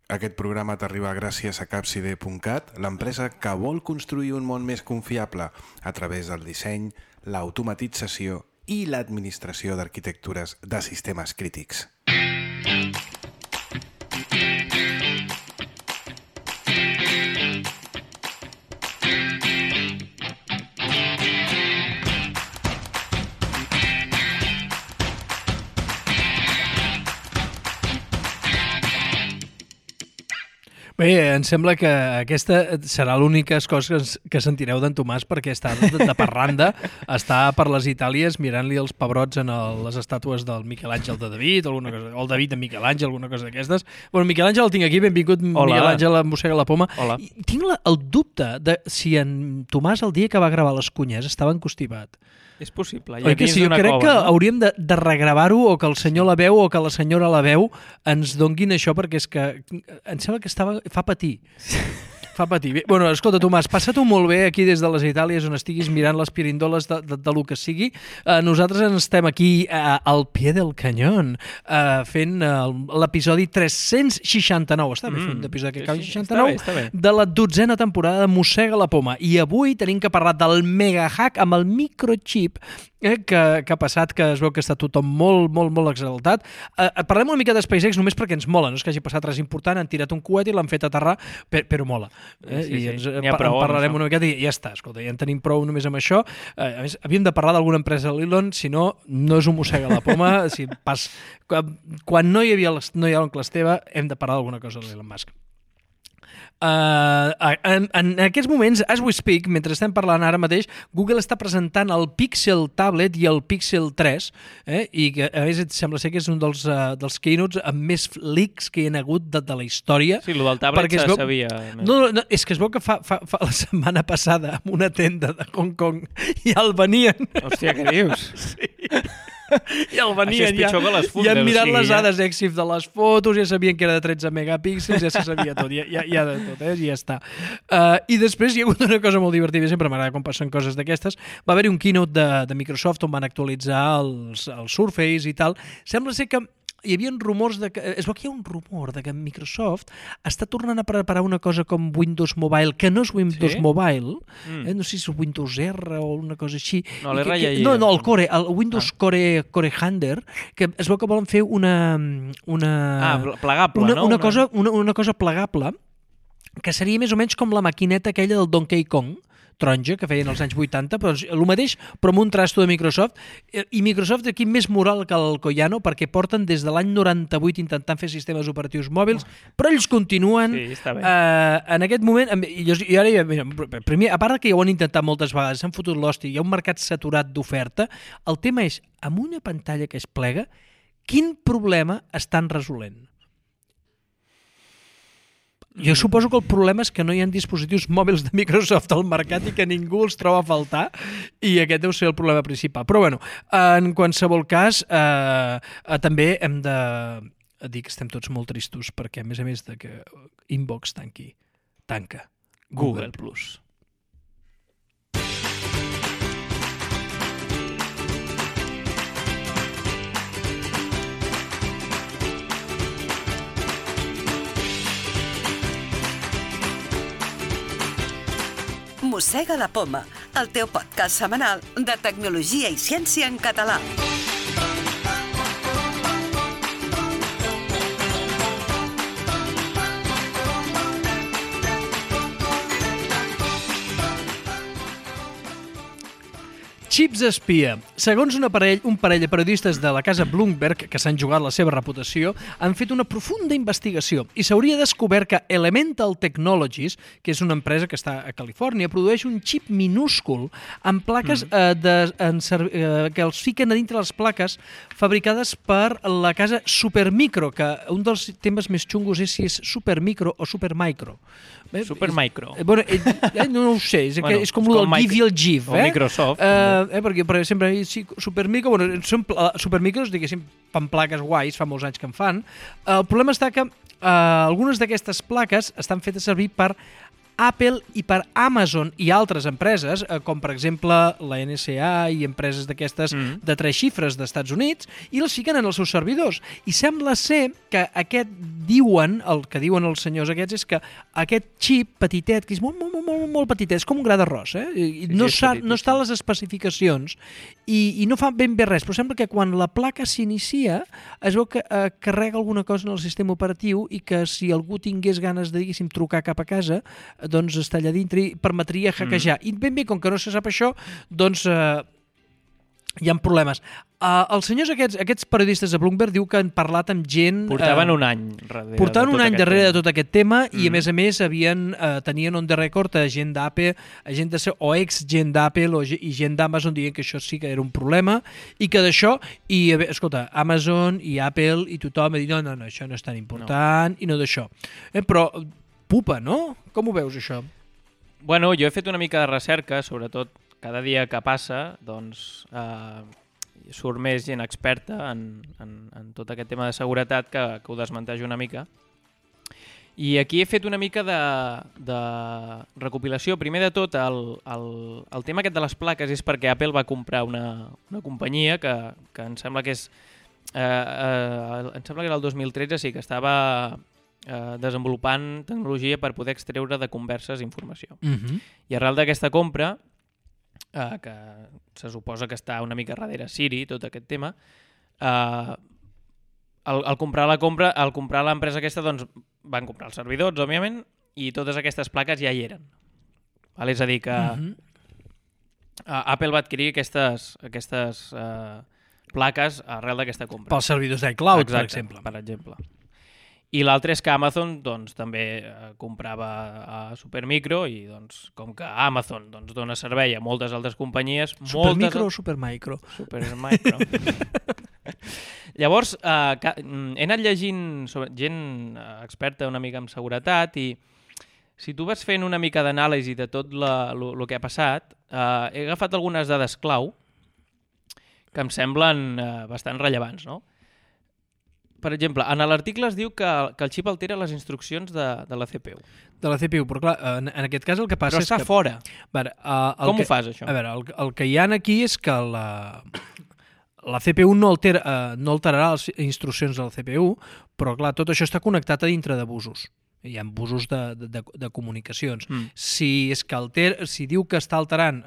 Aquest programa t'arriba gràcies a Capside.cat, l'empresa que vol construir un món més confiable a través del disseny, l'automatització i l'administració d'arquitectures de sistemes crítics. Bé, em sembla que aquesta serà l'única cosa que sentireu d'en Tomàs perquè està de parranda, està per les Itàlies mirant-li els pebrots en les estàtues del Miquel Àngel de David, o el David de Miquel Àngel, alguna cosa d'aquestes. Bueno, Miquel Àngel el tinc aquí, benvingut. Hola. Miquel Àngel mossega la poma. Hola. Tinc el dubte de si en Tomàs el dia que va gravar les cunyes estava encostipat. És possible. Oi que sí? Jo crec que hauríem de regravar-ho o que el senyor la veu o que la senyora la veu ens donguin això perquè és que em sembla que fa patir. Fa patir. Bé, bueno, escolta, Tomàs, passa-t'ho molt bé aquí des de les Itàlies on estiguis mirant les pirindoles de lo que sigui. Nosaltres estem aquí al pie del canyón fent l'episodi 369. Està bé fer un episodi que acabi 69? Està bé. De la 12a temporada de Mossega la Poma. I avui tenim que parlar del megahack amb el microchip que ha passat, que es veu que està tothom molt, molt, molt exaltat. Parlem una mica de SpaceX només perquè ens mola, no és que hagi passat res important, han tirat un coet i l'han fet aterrar, però mola. Sí, I en parlarem una miqueta i ja està, escolta, ja en tenim prou només amb això. A més, havíem de parlar d'alguna empresa de l'Elon, si no és un mossega la poma. Quan no hi havia l'oncle Esteve, hem de parlar d'alguna cosa de l'Elon Musk. En aquests moments, as we speak, mentre estem parlant ara mateix, Google està presentant el Pixel Tablet i el Pixel 3, i que a més sembla ser que és un dels keynotes amb més leaks que hi ha hagut de la història. Sí, el del tablet se sabia. No, és que es veu que fa la setmana passada en una tenda de Hong Kong i el venien. Hòstia, què dius? Sí. I el venien, això és pitjor que les fundes. I han mirat les dades EXIF de les fotos, ja sabien que era de 13 megapíxels, ja se sabia tot, ja de tot, ja està. I després hi ha hagut una cosa molt divertida, sempre m'agrada quan passen coses d'aquestes. Va haver-hi un keynote de Microsoft on van actualitzar els Surface i tal. Sembla ser que hi havia rumors es veu que hi ha un rumor de que Microsoft està tornant a preparar una cosa com Windows Mobile, que no és Windows Mobile, no sé si és Windows R o una cosa així. No, l'R ja hi no, el Core, el Windows Core Hunter, que es veu que volen fer una plegable, no? Una cosa plegable, que seria més o menys com la maquineta aquella del Donkey Kong, taronja, que feien als anys 80, però el mateix, però amb un trasto de Microsoft. I Microsoft aquí més moral que el Collano, perquè porten des de l'any 98 intentant fer sistemes operatius mòbils, però ells continuen. Sí, està bé. En aquest moment, i ara, primer, a part que ja ho han intentat moltes vegades, s'han fotut l'hòstia, hi ha un mercat saturat d'oferta, el tema és, amb una pantalla que es plega, quin problema estan resolent? Jo suposo que el problema és que no hi ha dispositius mòbils de Microsoft al mercat i que ningú els troba a faltar, i aquest deu ser el problema principal. Però bueno, en qualsevol cas, també hem de dir que estem tots molt tristos perquè, a més de que Inbox tanca Google Plus. Mossega la Poma, el teu podcast setmanal de tecnologia i ciència en català. Xips espia. Segons un parell de periodistes de la casa Bloomberg que s'han jugat la seva reputació, han fet una profunda investigació i s'hauria descobert que Elemental Technologies, que és una empresa que està a Califòrnia, produeix un xip minúscul amb plaques que els fiquen a dintre les plaques fabricades per la casa Supermicro, que un dels temes més xungos és si és Supermicro o Supermicro. Supermicro. Bueno, no ho sé, és com el del Give i el Give. O Microsoft. Perquè sempre Supermicro, Supermicros, diguéssim, fan plaques guais, fa molts anys que en fan. El problema està que algunes d'aquestes plaques estan fetes servir per Apple i per Amazon i altres empreses, com per exemple la NSA i empreses d'aquestes de 3 xifres d'Estats Units, i les fiquen en els seus servidors. I sembla ser que el que diuen els senyors aquests és que aquest xip petitet, que és molt petitet, és com un gra d'arròs, i no està a les especificacions i no fa ben bé res, però sembla que quan la placa s'inicia es veu que carrega alguna cosa en el sistema operatiu i que si algú tingués ganes de, diguéssim, trucar cap a casa, doncs està allà dintre i permetria hackejar. I ben bé, com que no se sap això, doncs hi ha problemes. Els senyors aquests periodistes de Bloomberg diu que han parlat amb gent... Portaven un any darrere de tot aquest tema i a més tenien on the record a gent d'Apple, o ex-gent d'Apple i gent d'Amazon dient que això sí que era un problema i que d'això, escolta, Amazon i Apple i tothom ha dit no, això no és tan important i no d'això. Però pupa, no? Com ho veus, això? Bueno, jo he fet una mica de recerca, sobretot cada dia que passa, doncs surt més gent experta en tot aquest tema de seguretat que ho desmenteix una mica. I aquí he fet una mica de recopilació. Primer de tot, el tema aquest de les plaques és perquè Apple va comprar una companyia que em sembla que és... em sembla que era el 2013, sí, que estava desenvolupant tecnologia per poder extreure de converses informació. I arrel d'aquesta compra, que se suposa que està una mica darrere Siri, tot aquest tema, al comprar l'empresa aquesta, doncs van comprar els servidors, òbviament, i totes aquestes plaques ja hi eren. És a dir, que Apple va adquirir aquestes plaques arrel d'aquesta compra. Pels servidors d'iCloud, per exemple. Per exemple. I l'altre és que Amazon doncs, també comprava a Supermicro i doncs, com que Amazon doncs, dona servei a moltes altres companyies... Supermicro o Supermicro? Supermicro. Llavors, he anat llegint sobre gent experta una mica en seguretat i si tu vas fent una mica d'anàlisi de tot el que ha passat, he agafat algunes dades clau que em semblen bastant rellevants, no? Per exemple, en l'article es diu que el xip altera les instruccions de la CPU. De la CPU, però clar, en aquest cas el que passa és que... Però està fora. Com ho fas, això? A veure, el que hi ha aquí és que la CPU no alterarà les instruccions de la CPU, però clar, tot això està connectat a dintre de busos. Hi ha busos de comunicacions. Si diu que està alterant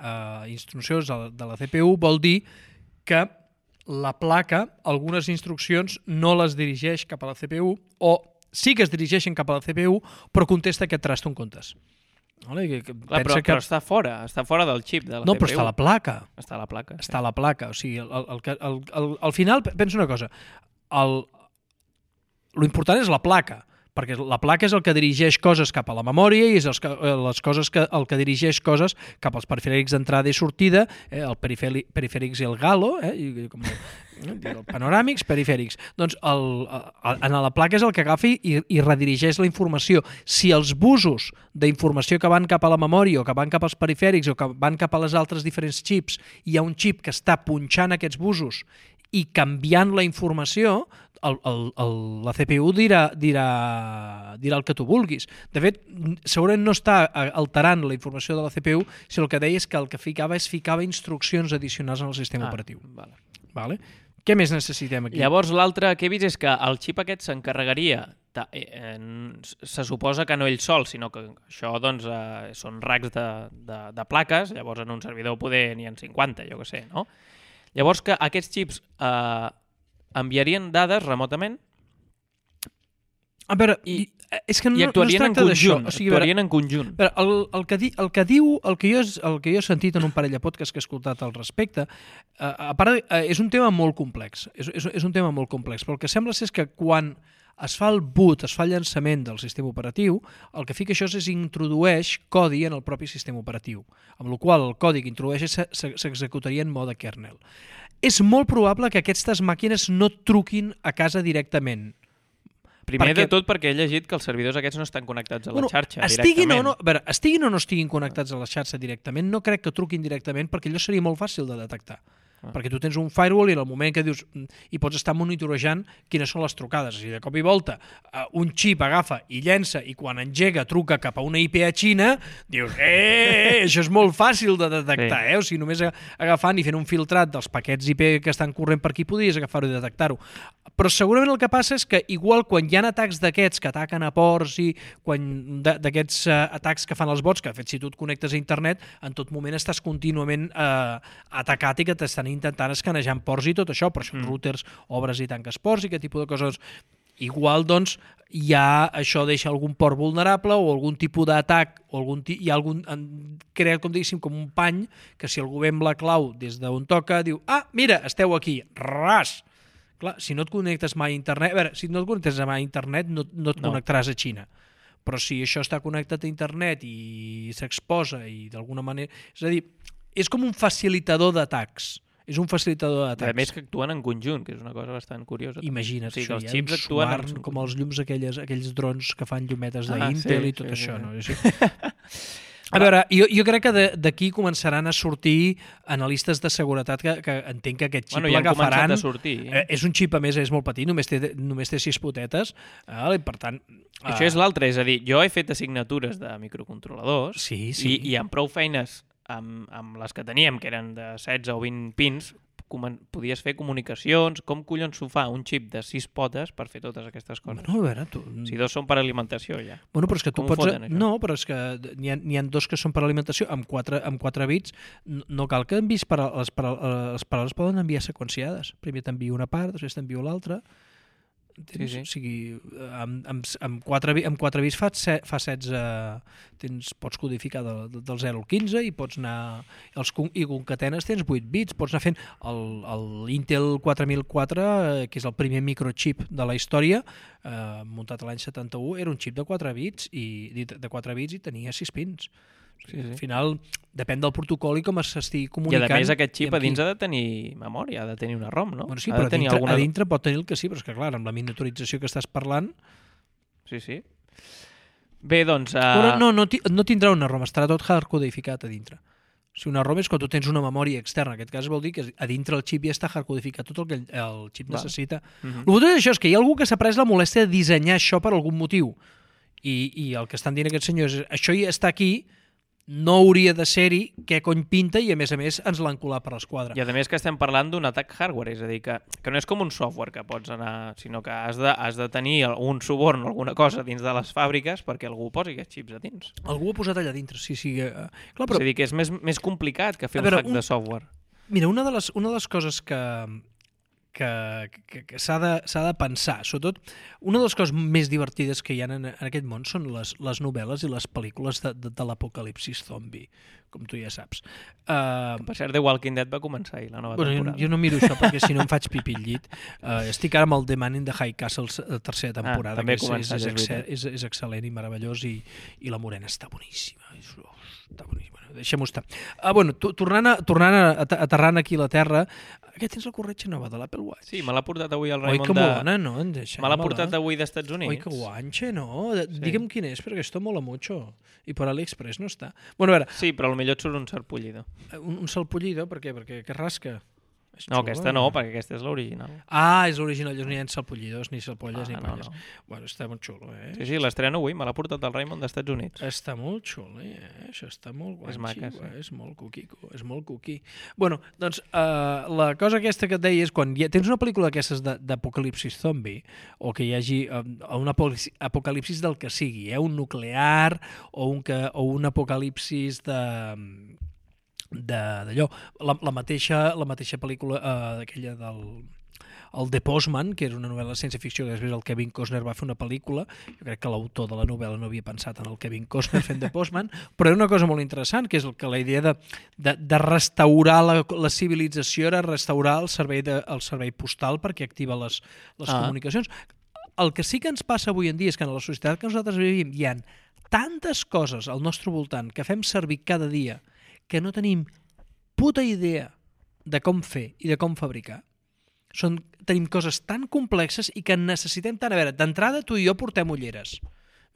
instruccions de la CPU, vol dir que la placa, algunes instruccions no les dirigeix cap a la CPU o sí que es dirigeixen cap a la CPU però contesta aquest trasto en comptes. Però està fora del xip de la CPU. No, però està a la placa. Està a la placa. Està a la placa. O sigui, al final, penso una cosa, lo important és la placa, perquè la placa és el que dirigeix coses cap a la memòria i és el que dirigeix coses cap als perifèrics d'entrada i sortida, el perifèrics i el Galo, el panoràmics, perifèrics. Doncs en la placa és el que agafi i redirigeix la informació. Si els busos d'informació que van cap a la memòria o que van cap als perifèrics o que van cap a les altres diferents xips, hi ha un xip que està punxant aquests busos i canviant la informació, la CPU dirà el que tu vulguis. De fet, segurament no està alterant la informació de la CPU, sinó el que deia és que el que ficava instruccions addicionals en el sistema operatiu. Vale? Què més necessitem aquí? Llavors, l'altre que he vist és que el xip aquest s'encarregaria, se suposa que no ell sol, sinó que això doncs, són racks de plaques, llavors en un servidor poder n'hi ha 50, jo què sé, no? Llavors que aquests xips enviarien dades remotament i actuarien en conjunt. Actuarien en conjunt. El que jo he sentit en un parell de podcasts que he escoltat al respecte, a part, és un tema molt complex. És un tema molt complex, però el que sembla és que quan es fa el boot, es fa el llançament del sistema operatiu, el que fica això és introdueix codi en el propi sistema operatiu, amb la qual el codi que introdueix s'executaria en mode kernel. És molt probable que aquestes màquines no truquin a casa directament. Primer de tot perquè he llegit que els servidors aquests no estan connectats a la xarxa directament. Estiguin o no estiguin connectats a la xarxa directament, no crec que truquin directament perquè allò seria molt fàcil de detectar. perquè tu tens un firewall i en el moment que dius i pots estar monitorejant quines són les trucades. És a dir, de cop i volta un xip agafa i llença i quan engega truca cap a una IP a Xina, dius, això és molt fàcil de detectar, O sigui, només agafant i fent un filtrat dels paquets IP que estan corrent per aquí podries agafar-ho i detectar-ho. Però segurament el que passa és que igual quan hi ha atacs d'aquests que ataquen a ports i d'aquests atacs que fan els bots, que de fet si tu et connectes a internet en tot moment estàs contínuament atacat i que t'estan intentant escanejar ports i tot això, però això routers obres i tanques ports i aquest tipus de coses. Igual, doncs, això deixa algun port vulnerable o algun tipus d'atac o hi ha algun creat, com diguéssim, com un pany que si algú ve amb la clau des d'on toca, diu, mira, esteu aquí, ras! Clar, si no et connectes mai a internet... A veure, si no et connectes mai a internet no et connectaràs a Xina. Però si això està connectat a internet i s'exposa i d'alguna manera... És a dir, és com un facilitador d'atacs. És un facilitador d'atacs. A més que actuen en conjunt, que és una cosa bastant curiosa. Imagina't, o sigui, això, els xips actuen com els llums aquells drons que fan llumetes d'Intel i tot això. No? A veure, jo crec que d'aquí començaran a sortir analistes de seguretat que entenc que aquest xip l'agafaran. És un xip, a més, és molt petit, només té 6 potetes, i per tant... Això és l'altre, és a dir, jo he fet assignatures de microcontroladors i amb prou feines amb les que teníem, que eren de 16 o 20 pins, podies fer comunicacions. Com collons s'ho fa un xip de 6 potes per fer totes aquestes coses? Bueno, a veure, si 2 són per alimentació, ja. Bueno, però és que tu pots... No, però és que n'hi ha 2 que són per alimentació, amb 4 bits. No cal que enviïs les paraules poden enviar seqüenciades. Primer t'envio una part, després t'envio l'altra. O sigui, amb 4 bits fa 16... Pots codificar del 0 al 15 i pots anar... I concatenes tens 8 bits. Pots anar fent l'Intel 4004, que és el primer microchip de la història, muntat l'any 71, era un xip de 4 bits i tenia 6 pins. Al final, depèn del protocol i com s'estigui comunicant. I a més aquest xip a dins ha de tenir memòria, ha de tenir una ROM, no? Bueno, sí, però a dintre pot tenir el que sí, però és que clar, amb la miniaturització que estàs parlant... Sí. Bé, doncs... No tindrà una ROM, estarà tot hardcodificat a dintre. Si una ROM és quan tu tens una memòria externa, en aquest cas vol dir que a dintre el xip ja està hardcodificat tot el que el xip necessita. El que és això, és que hi ha algú que s'ha pres la molèstia de dissenyar això per algun motiu. I el que estan dient aquests senyors és això ja està aquí, no hauria de ser-hi, què cony pinta, i a més ens l'han colat per l'esquadra. I a més que estem parlant d'un atac hardware, és a dir, que no és com un software que pots anar, sinó que has de tenir un suborn o alguna cosa dins de les fàbriques perquè algú posi aquests xips a dins. Algú ho ha posat allà dintre, sí. Clar, però... És a dir, que és més complicat que fer un hack de software. Mira, una de les coses que s'ha de pensar, sobretot una de les coses més divertides que hi ha en aquest món són les novel·les i les pel·lícules de l'apocalipsis zombi, com tu ja saps. Per cert, The Walking Dead va començar ahir la nova temporada. Jo no miro això perquè si no em faig pipí al llit. Estic ara amb el The Man in the High Castle, tercera temporada, que és excel·lent i meravellós, i la morena està boníssima. Està boníssima. Deixem-ho estar. Aterrant aquí a la Terra, que tens la corretja nova de l'Apple Watch. Sí, me l'ha portat avui el Raimon que bona, no? Me l'ha portat avui d'Estats Units. Oi, que guanxe, no? Digue'm quin és, perquè esto mola mucho. I per AliExpress no està. Bueno, a veure... Sí, però potser et surt un sarpullido. Un sarpullido? Per què? Perquè rasca? No, aquesta no, perquè aquesta és l'original. És l'original, no hi ha sarpullidors, ni sarpolles, ni polles. No. Bueno, està molt xulo, Sí, l'estreno avui, me l'ha portat el Raimon d'Estats Units. Està molt xulo, Això està molt guanxi. És maca, sí. És molt cuqui. Bueno, doncs, la cosa aquesta que et deia és quan tens una pel·lícula d'aquestes d'apocalipsis zombi, o que hi hagi un apocalipsis del que sigui, un nuclear, o un apocalipsis d'allò, la mateixa pel·lícula d'aquella el The Postman, que era una novel·la de ciència-ficció, que després el Kevin Costner va fer una pel·lícula. Jo crec que l'autor de la novel·la no havia pensat en el Kevin Costner fent The Postman, però era una cosa molt interessant, que és que la idea de restaurar la civilització era restaurar el servei postal perquè activa les comunicacions. El que sí que ens passa avui en dia és que en la societat que nosaltres vivim hi ha tantes coses al nostre voltant que fem servir cada dia que no tenim puta idea de com fer i de com fabricar. Tenim coses tan complexes i que necessitem tant... A veure, d'entrada tu i jo portem ulleres.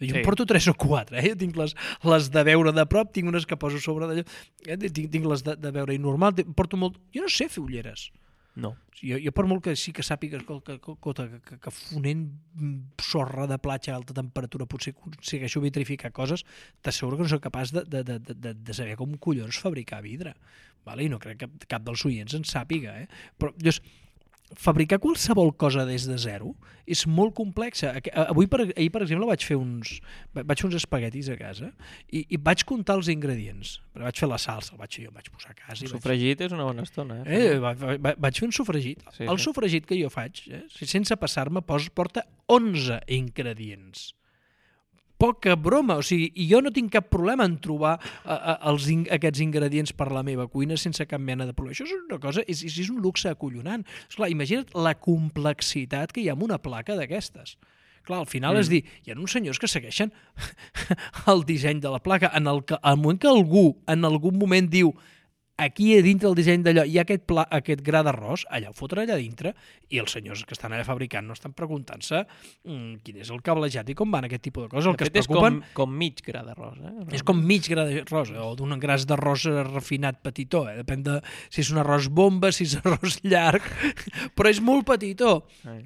Jo en porto 3 o 4, Jo tinc les de veure de prop, tinc unes que poso sobre d'allò, tinc les de veure normal, porto molt... Jo no sé fer ulleres. No. Jo per molt que sí que sàpigues que fonent sorra de platja a alta temperatura potser aconsegueixo vitrificar coses, t'asseguro que no soc capaç de saber com collons fabricar vidre. Vale? I no crec que cap dels oients en sàpiga. Però llavors, fabricar qualsevol cosa des de zero és molt complexa. Ahir, per exemple, vaig fer uns espaguetis a casa i vaig comptar els ingredients. Però vaig fer la salsa, jo vaig posar a casa. Sofregit és una bona estona. Vaig fer un sofregit. Sí, el sofregit que jo faig, sense passar-me, porta 11 ingredients. Poca broma, o sigui, i jo no tinc cap problema en trobar aquests ingredients per la meva cuina sense cap mena de problema. Això és una cosa, és un luxe acollonant. Esclar, imagina't la complexitat que hi ha en una placa d'aquestes. Clar, al final és dir, hi ha uns senyors que segueixen el disseny de la placa. Al moment que algú en algun moment diu aquí a dintre el disseny d'allò hi ha aquest gra d'arròs, allà ho foten allà dintre i els senyors que estan allà fabricant no estan preguntant-se quin és el cablejat i com van aquest tipus de coses. El que es preocupen és com mig gra d'arròs. És com mig gra d'arròs, o d'un gras d'arròs refinat petitó. Depèn de si és un arròs bomba, si és arròs llarg, però és molt petitó.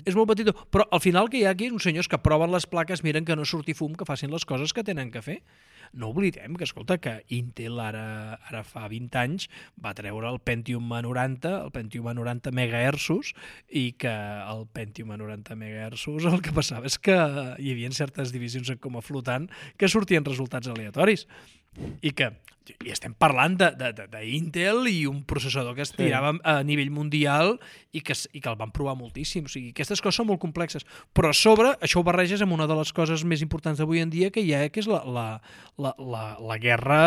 És molt petitó. Però al final que hi ha aquí uns senyors que proven les plaques, miren que no surti fum, que facin les coses que tenen que fer. No oblidem que, escolta, que Intel ara fa 20 anys va treure el Pentium A90, el Pentium A90 MHz, i que el Pentium A90 MHz el que passava és que hi havia certes divisions com a flotant que sortien resultats aleatoris. I estem parlant d'Intel i un processador que es tirava a nivell mundial i que el van provar moltíssim. O sigui, aquestes coses són molt complexes. Però a sobre, això ho barreges amb una de les coses més importants d'avui en dia que hi ha, que és la guerra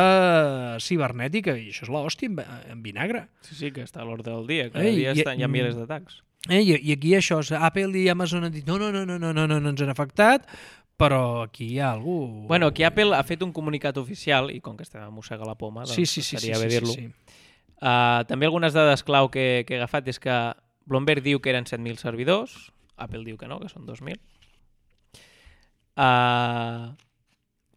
cibernètica. I això és l'hòstia en vinagre. Sí, que està a l'ordre del dia. Cada dia hi ha milers d'atacs. I aquí això, Apple i Amazon han dit no ens han afectat, però aquí hi ha algú... Bueno, aquí Apple ha fet un comunicat oficial, i com que estem a mossegar la poma, doncs seria bé dir-lo. També algunes dades clau que he agafat és que Bloomberg diu que eren 7.000 servidors, Apple diu que no, que són 2.000.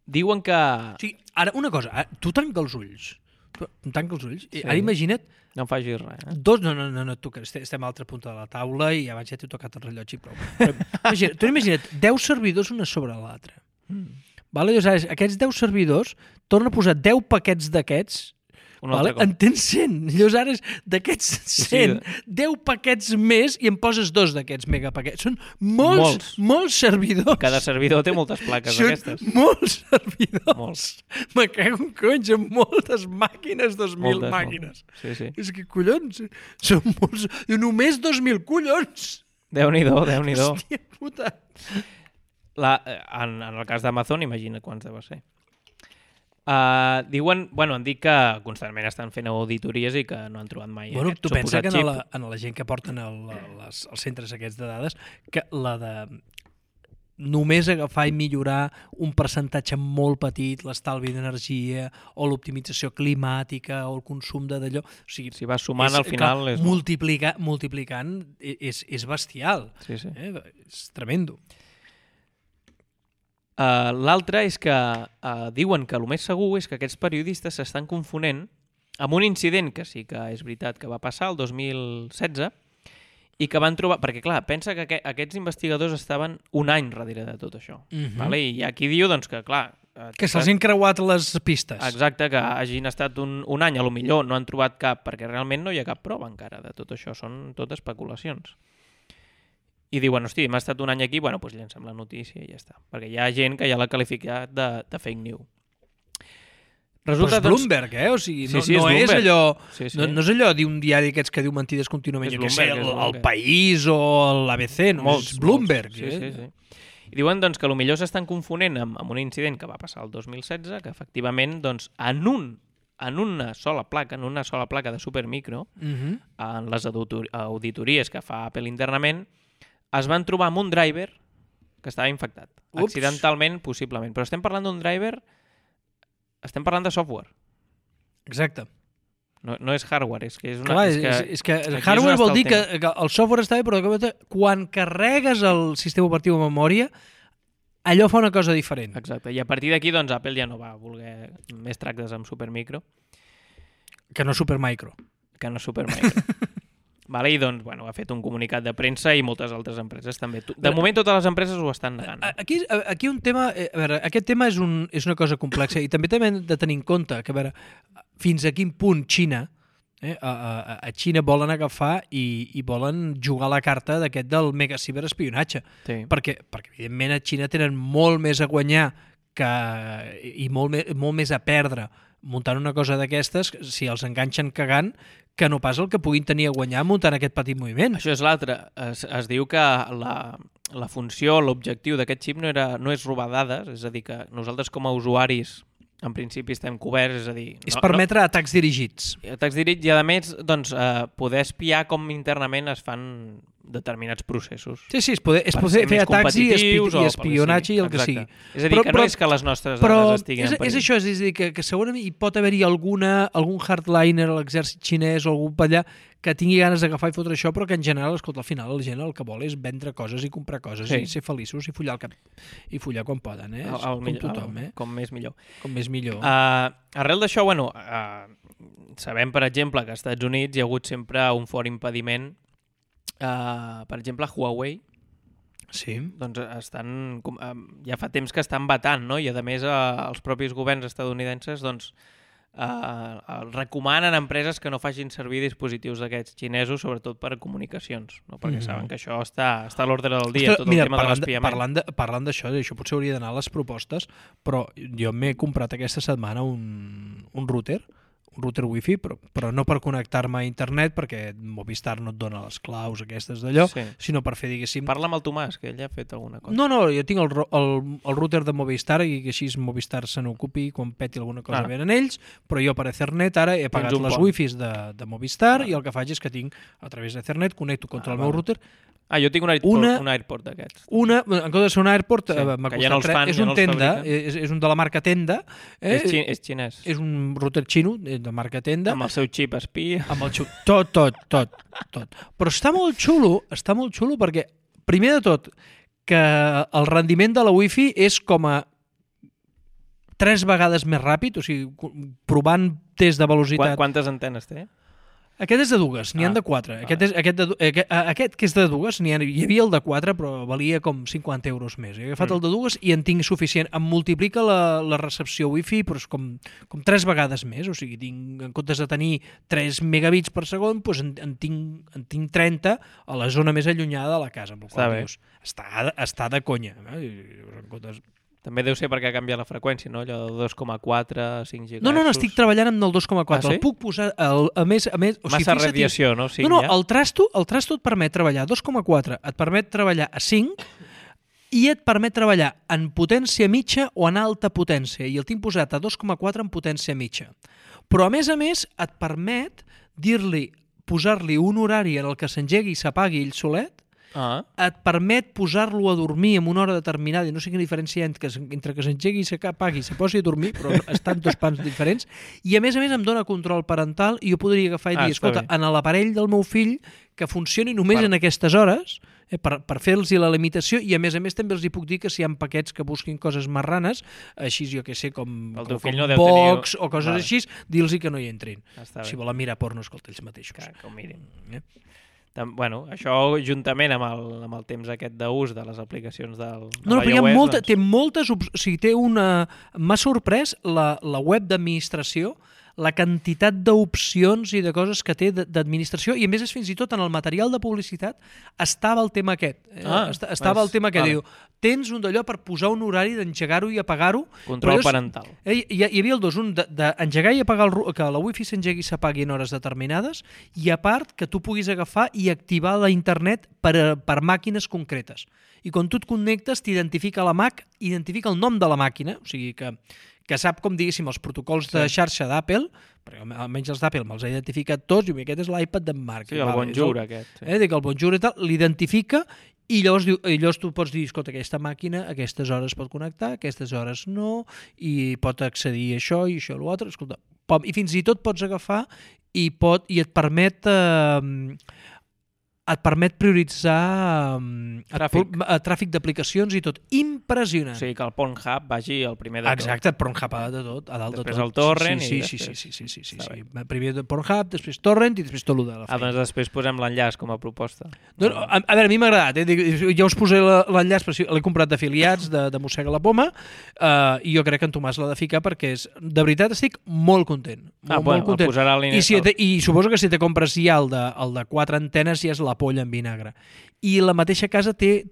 Diuen que... Sí, ara, una cosa, tu tanca els ulls. Ara imagina't... No em facis res, No, tu, que estem a l'altra punta de la taula i abans ja t'he tocat el rellotge i prou. Tu imagina't 10 servidors una sobre l'altra. Vale? Llavors, aquests 10 servidors tornen a posar 10 paquets d'aquests. Vale? En tens 100. Llavors ara d'aquests 100, 10 paquets més i em poses 2 d'aquests megapaquets. Són molts servidors. Cada servidor té moltes plaques d'aquestes. Molts servidors. Me cago en conys, amb moltes màquines, 2.000 màquines. Sí. És que collons, són molts... Només 2.000, collons! Déu-n'hi-do. Hòstia puta. En el cas d'Amazon, imagina quants deu ser. Diuen, han dit que constantment estan fent auditories i que no han trobat mai aquest tu pensa que xip. en la gent que porten els centres aquests de dades, que la de només agafar i millorar un percentatge molt petit, l'estalvi d'energia o l'optimització climàtica o el consum d'allò... O sigui, si vas sumant al final... Multiplicant és bestial. Sí. És tremendo. L'altre és que diuen que el més segur és que aquests periodistes s'estan confonent amb un incident que sí que és veritat que va passar el 2016 i que van trobar... Perquè, clar, pensa que aquests investigadors estaven un any darrere de tot això. Vale? I aquí diu doncs, que, clar... Que se'ls han creuat les pistes. Exacte, que hagin estat un any, a lo millor no han trobat cap, perquè realment no hi ha cap prova encara de tot això, són tot especulacions. I diuen, hosti, m'ha estat un any aquí, doncs llancem la notícia i ja està. Perquè hi ha gent que ja l'ha qualificat de fake news. Resulta, però és Bloomberg, O sigui, no és allò... No és allò d'un diari aquests que diu mentides contínuament, jo què sé, el País o l'ABC, no? És Bloomberg. Sí. I diuen doncs, que potser s'estan confonent amb un incident que va passar el 2016, que efectivament doncs, en una sola placa de supermicro, en les auditories que fa Apple internament, es van trobar amb un driver que estava infectat. Accidentalment, possiblement. Però estem parlant d'un driver... Estem parlant de software. Exacte. No és hardware, és que és una... Clar, és que el hardware vol dir que el software està bé, però quan carregues el sistema operatiu a memòria, allò fa una cosa diferent. Exacte. I a partir d'aquí, doncs, Apple ja no va voler més tractes amb Supermicro. Que no Supermicro. Que no Supermicro. Vale, i doncs, bueno, ha fet un comunicat de premsa i moltes altres empreses també. De moment totes les empreses ho estan negant. Aquí un tema... A veure, aquest tema és una cosa complexa i també hem de tenir en compte que, a veure, fins a quin punt Xina, a Xina volen agafar i volen jugar la carta d'aquest del mega ciberespionatge. Sí. Perquè, evidentment, a Xina tenen molt més a guanyar i molt més a perdre muntant una cosa d'aquestes, si els enganxen cagant, que no pas el que puguin tenir a guanyar muntant aquest petit moviment. Això és l'altre. Es diu que la funció, l'objectiu d'aquest xip no és robar dades, és a dir, que nosaltres com a usuaris en principi estem coberts, és a dir... És permetre atacs dirigits. Atacs dirigits i, a més, doncs, poder espiar com internament es fan determinats processos. Sí, és poder fer atacs i espionatge i el que sigui. És a dir, que no és que les nostres dades estiguin en perill. És això, és a dir, que segurament hi pot haver-hi algun hardliner a l'exèrcit xinès o algú per allà que tingui ganes d'agafar i fotre això, però que en general, escolta, al final la gent el que vol és vendre coses i comprar coses i ser feliços i follar quan poden, com tothom. Com més millor. Com més millor. Arrel d'això, bueno, sabem, per exemple, que als Estats Units hi ha hagut sempre un fort impediment. Per exemple, Huawei, sí. Doncs ja fa temps que estan vetant, no? I a més els propis governs estadounidenses doncs, recomanen a empreses que no facin servir dispositius d'aquests xinesos, sobretot per a comunicacions, no? Perquè saben que això està a l'ordre del dia. Ostres, tot el tema de l'espiament. Parlant d'això potser hauria d'anar a les propostes, però jo m'he comprat aquesta setmana un router wifi, però no per connectar-me a internet, perquè Movistar no et dona les claus aquestes d'allò, sinó per fer, diguéssim... Parla amb el Tomàs, que ell ha fet alguna cosa. No, jo tinc el router de Movistar i que així Movistar se n'ocupi quan peti alguna cosa venen ells, però jo per Ethernet ara he pagat les wifis de Movistar i el que faig és que tinc, a través d'Ethernet, connecto contra el meu router. Jo tinc un AirPort d'aquests. En comptes de ser un AirPort, m'ha costat és un Tenda, és un de la marca Tenda. És xinès. És un router xino de marca Tenda. Amb el seu xip espia. Amb el xip, tot. Però està molt xulo perquè, primer de tot, que el rendiment de la Wi-Fi és com a 3 vegades més ràpid, o sigui, provant test de velocitat. Quantes antenes té? Aquest és de dues, n'hi han de 4. Aquest que és de dues, hi havia el de 4, però valia com 50 euros més. He agafat el de dues i en tinc suficient. Em multiplica la recepció Wi-Fi però és com 3 vegades més. O sigui, en comptes de tenir 3 megabits per segon, doncs en tinc 30 a la zona més allunyada de la casa. Amb el qual dius, està de conya. També deu ser perquè ha canviat la freqüència, no? Allò de 2,4, 5 GHz. No, estic treballant amb el 2,4. Sí? El puc posar... A més, massa radiació, no? No, el trasto et permet treballar a 2,4, et permet treballar a 5 i et permet treballar en potència mitja o en alta potència. I el tinc posat a 2,4 en potència mitja. Però, a més, et permet posar-li un horari en el que s'engegui i s'apagui ell solet, et permet posar-lo a dormir en una hora determinada, i no sé quina diferència hi ha entre que s'engegui i s'apagui i se posi a dormir, però estan dos pans diferents, i a més em dona control parental i jo podria agafar i dir, escolta, en l'aparell del meu fill que funcioni només en aquestes hores, per fer-los la limitació, i a més també els hi puc dir que si hi ha paquets que busquin coses marranes, així jo que sé, com Vox o coses així, dir-los que no hi entrin. Si volen mirar porno, escolta, ells mateixos. Que ho mirin. Bueno, això juntament amb el temps aquest d'ús de les aplicacions del No, però hi ha té moltes... O sigui, m'ha sorprès la web d'administració, la quantitat d'opcions i de coses que té d'administració, i a més fins i tot en el material de publicitat estava el tema aquest. El tema que diu, tens un d'allò per posar un horari d'engegar-ho i apagar-ho. Control parental. Hi havia el dos, un d'engegar i apagar, que la wifi s'engegui i s'apagui en hores determinades, i a part que tu puguis agafar i activar la internet per màquines concretes. I quan tu et connectes t'identifica la Mac, identifica el nom de la màquina, o sigui que sap, com diguéssim, els protocols de xarxa d'Apple, perquè almenys els d'Apple me'ls ha identificat tots, i aquest és l'iPad d'en Marc. Sí, el Bonjour aquest. Dic, el Bonjour i tal, l'identifica, i llavors tu pots dir, escolta, aquesta màquina a aquestes hores pot connectar, a aquestes hores no, i pot accedir a això i això a l'altre, escolta, i fins i tot pots agafar i et permet et permet prioritzar tràfic d'aplicacions i tot. Impressionant. O sigui, que el Pornhub vagi el primer de tot. Exacte, Pornhub a dalt de tot. Després el torrent sí. Primer Pornhub, després torrent i després tot el de la feina. Doncs després posem l'enllaç com a proposta. A veure, a mi m'ha agradat. Ja us posaré l'enllaç, l'he comprat d'afiliats de Mossega la Poma i jo crec que en Tomàs l'ha de ficar perquè de veritat estic molt content. Molt content. I suposo que si te compres ja el de 4 antenes ja és la polla en vinagre. I la mateixa casa té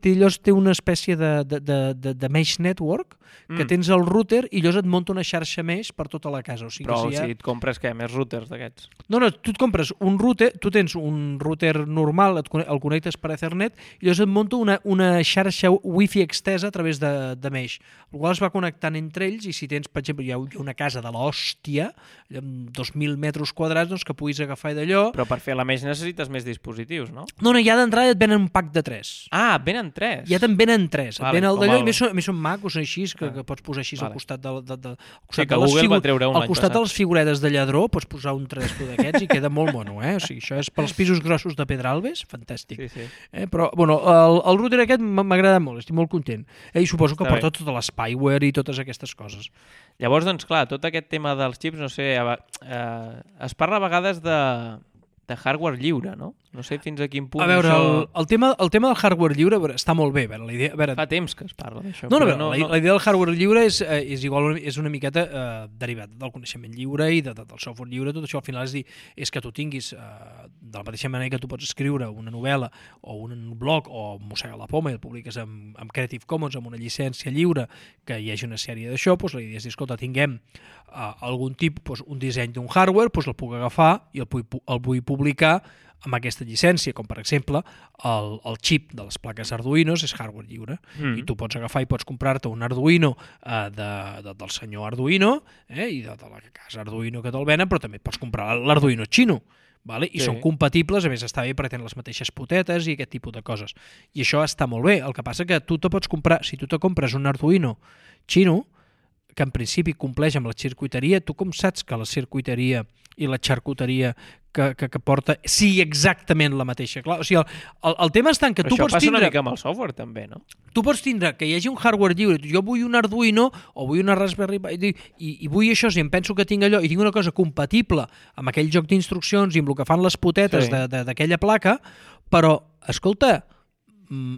una espècie de mesh network que tens el router i llavors et munta una xarxa mesh per tota la casa. Però si et compres més routers d'aquests? No, tu et compres un router, tu tens un router normal, el connectes per Ethernet i llavors et munta una xarxa wifi extesa a través de mesh. El qual es va connectant entre ells i si tens, per exemple, hi ha una casa de l'hòstia, amb 2.000 metres quadrats, doncs que puguis agafar d'allò. Però per fer la mesh necessites més dispositius, no? No, ja d'entrada et venen un pack de 3. Ah, et venen 3? Ja te'n venen 3. Et ven el d'allò i més són macos així, que pots posar així al costat sí, que Google va treure un al costat de les figuretes de lladró pots posar un tresco d'aquests i queda molt mono, O sigui, això és pels pisos grossos de Pedralbes, fantàstic. Sí. Però, bueno, el router aquest m'agrada molt, estic molt content. I suposo que porta tot l'spyware i totes aquestes coses. Llavors, doncs, clar, tot aquest tema dels xips, no sé, es parla a vegades de hardware lliure, no? No sé fins a quin punt a veure, això... el tema del hardware lliure està molt bé. La idea, fa temps que es parla d'això. La idea del hardware lliure és una miqueta derivat del coneixement lliure i del software lliure. Tot això al final és que tu tinguis, de la mateixa manera que tu pots escriure una novel·la o un blog o Mossega la Poma i el publiques amb Creative Commons, amb una llicència lliure, que hi hagi una sèrie d'això, la idea és dir, escolta, tinguem algun tipus, un disseny d'un hardware, el puc agafar i el vull publicar amb aquesta llicència, com per exemple el xip de les plaques Arduino és hardware lliure i tu pots agafar i pots comprar-te un Arduino del senyor Arduino i de la casa Arduino que te'l venen, però també pots comprar l'Arduino xino. I són compatibles, a més està bé perquè tenen les mateixes potetes i aquest tipus de coses. I això està molt bé. El que passa que tu te pots comprar, si tu te compres un Arduino xino, que en principi compleix amb la circuiteria, tu com saps que la circuiteria i la xarcuteria que porta sigui exactament la mateixa? Clar, o sigui, el tema està en que tu pots tindre... Això passa una mica amb el software, també, no? Tu pots tindre que hi hagi un hardware lliure. Jo vull un Arduino o vull una Raspberry Pi i vull això, si em penso que tinc allò i tinc una cosa compatible amb aquell joc d'instruccions i amb el que fan les potetes d'aquella placa, però, escolta,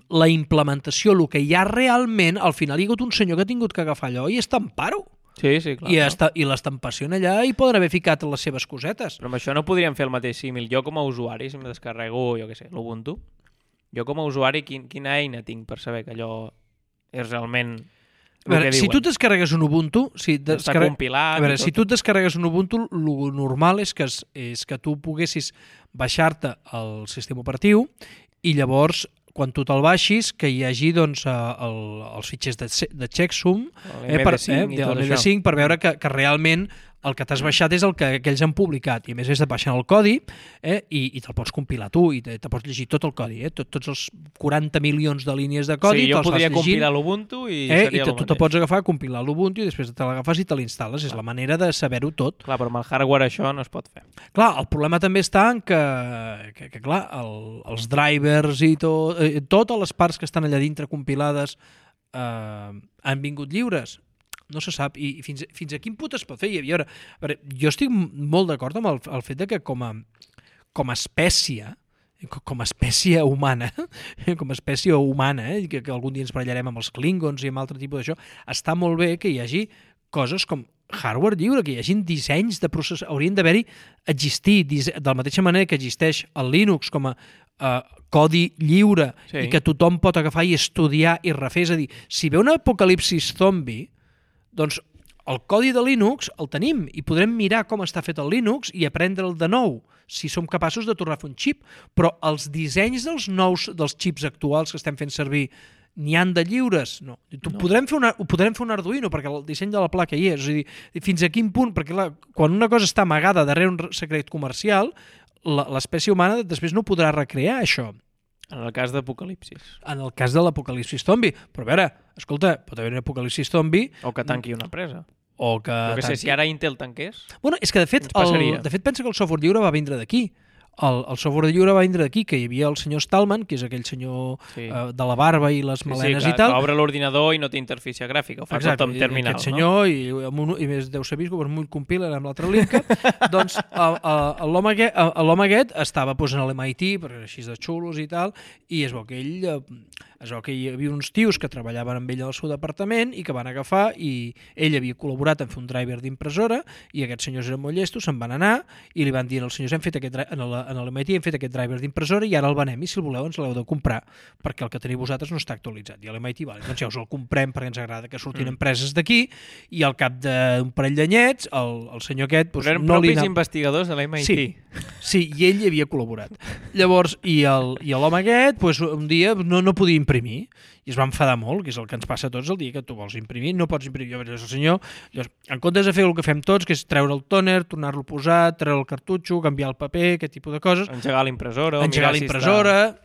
la implementació, el que hi ha realment, al final hi ha hagut un senyor que ha tingut que agafar allò i estampar-ho. Sí, clar. I l'estampació allà hi poden haver ficat les seves cosetes. Però amb això no podríem fer el mateix símil. Jo com a usuari, si em descarrego, jo què sé, l'Ubuntu, jo com a usuari quina eina tinc per saber que allò és realment el que diuen? Si tu descarregues un Ubuntu... Està compilat... A veure, si tu descarregues un Ubuntu, el normal és que tu poguessis baixar-te el sistema operatiu i llavors quan tu te'l baixis, que hi hagi doncs, els fitxers de checksum, l'MD5 per veure que realment el que t'has baixat és el que ells han publicat i a més has de baixar el codi i te'l pots compilar tu i te pots llegir tot el codi, tots els 40 milions de línies de codi. Sí, jo podria compilar l'Ubuntu i seria el mateix. Tu te pots agafar, compilar l'Ubuntu i després te l'agafes i te l'instal·les. És la manera de saber-ho tot. Clar, però amb el hardware això no es pot fer. Clar, el problema també està en que clar, els drivers i totes les parts que estan allà dintre compilades han vingut lliures. No se sap, i fins a quin punt es pot fer. I a veure, jo estic molt d'acord amb el fet de que com a espècie humana, que algun dia ens barallarem amb els Klingons i amb altre tipus d'això, està molt bé que hi hagi coses com hardware lliure, que hi hagin dissenys de processos, haurien d'haver-hi existir, de la mateixa manera que existeix el Linux com a codi lliure i que tothom pot agafar i estudiar i refer. És a dir, si ve un apocalipsis zombi, doncs el codi de Linux el tenim i podrem mirar com està fet el Linux i aprendre'l de nou, si som capaços de tornar a fer un xip. Però els dissenys dels xips actuals que estem fent servir n'hi han de lliures? No. Podrem fer un Arduino perquè el disseny de la placa hi és. És a dir, fins a quin punt? Perquè quan una cosa està amagada darrere un secret comercial, l'espècie humana després no podrà recrear això. En el cas d'apocalipsis. En el cas de l'apocalipsis zombi. Però a veure, escolta, pot haver un apocalipsis zombi... O que tanqui una empresa. O que sé, si ara Intel tanqués... Bueno, és que de fet pensa que el software lliure va vindre d'aquí. el software lliure va vindre d'aquí, que hi havia el senyor Stallman, que és aquell senyor de la barba i les melenes i tal. Que obre l'ordinador i no té interfície gràfica, ho fa tot amb terminal. Aquest senyor, i més deu ser vist com un compiler amb l'altra linka, doncs l'home aquest estava en l'MIT, perquè era així de xulos i tal, i es veu que hi havia uns tios que treballaven amb ell al seu departament i que van agafar, i ell havia col·laborat en fer un driver d'impressora, i aquests senyors eren molt llestos, se'n van anar i li van dir als senyors, en l'MIT hem fet aquest driver d'impressora i ara el venem, i si el voleu ens l'heu de comprar, perquè el que teniu vosaltres no està actualitzat. I a l'MIT, doncs ja us el comprem perquè ens agrada que surtin empreses d'aquí, i al cap d'un parell d'anyets el senyor aquest... Però eren propis investigadors de l'MIT. Sí, i ell hi havia col·laborat. Llavors, i l'home aquest, un dia no podia imprimir, i es va enfadar molt, que és el que ens passa a tots el dia que tu vols imprimir, no pots imprimir. Llavors el senyor, en comptes de fer el que fem tots, que és treure el tòner, tornar-lo a posar, treure el cartutxo, canviar el paper, aquest tipus de coses... Engegar l'impressora,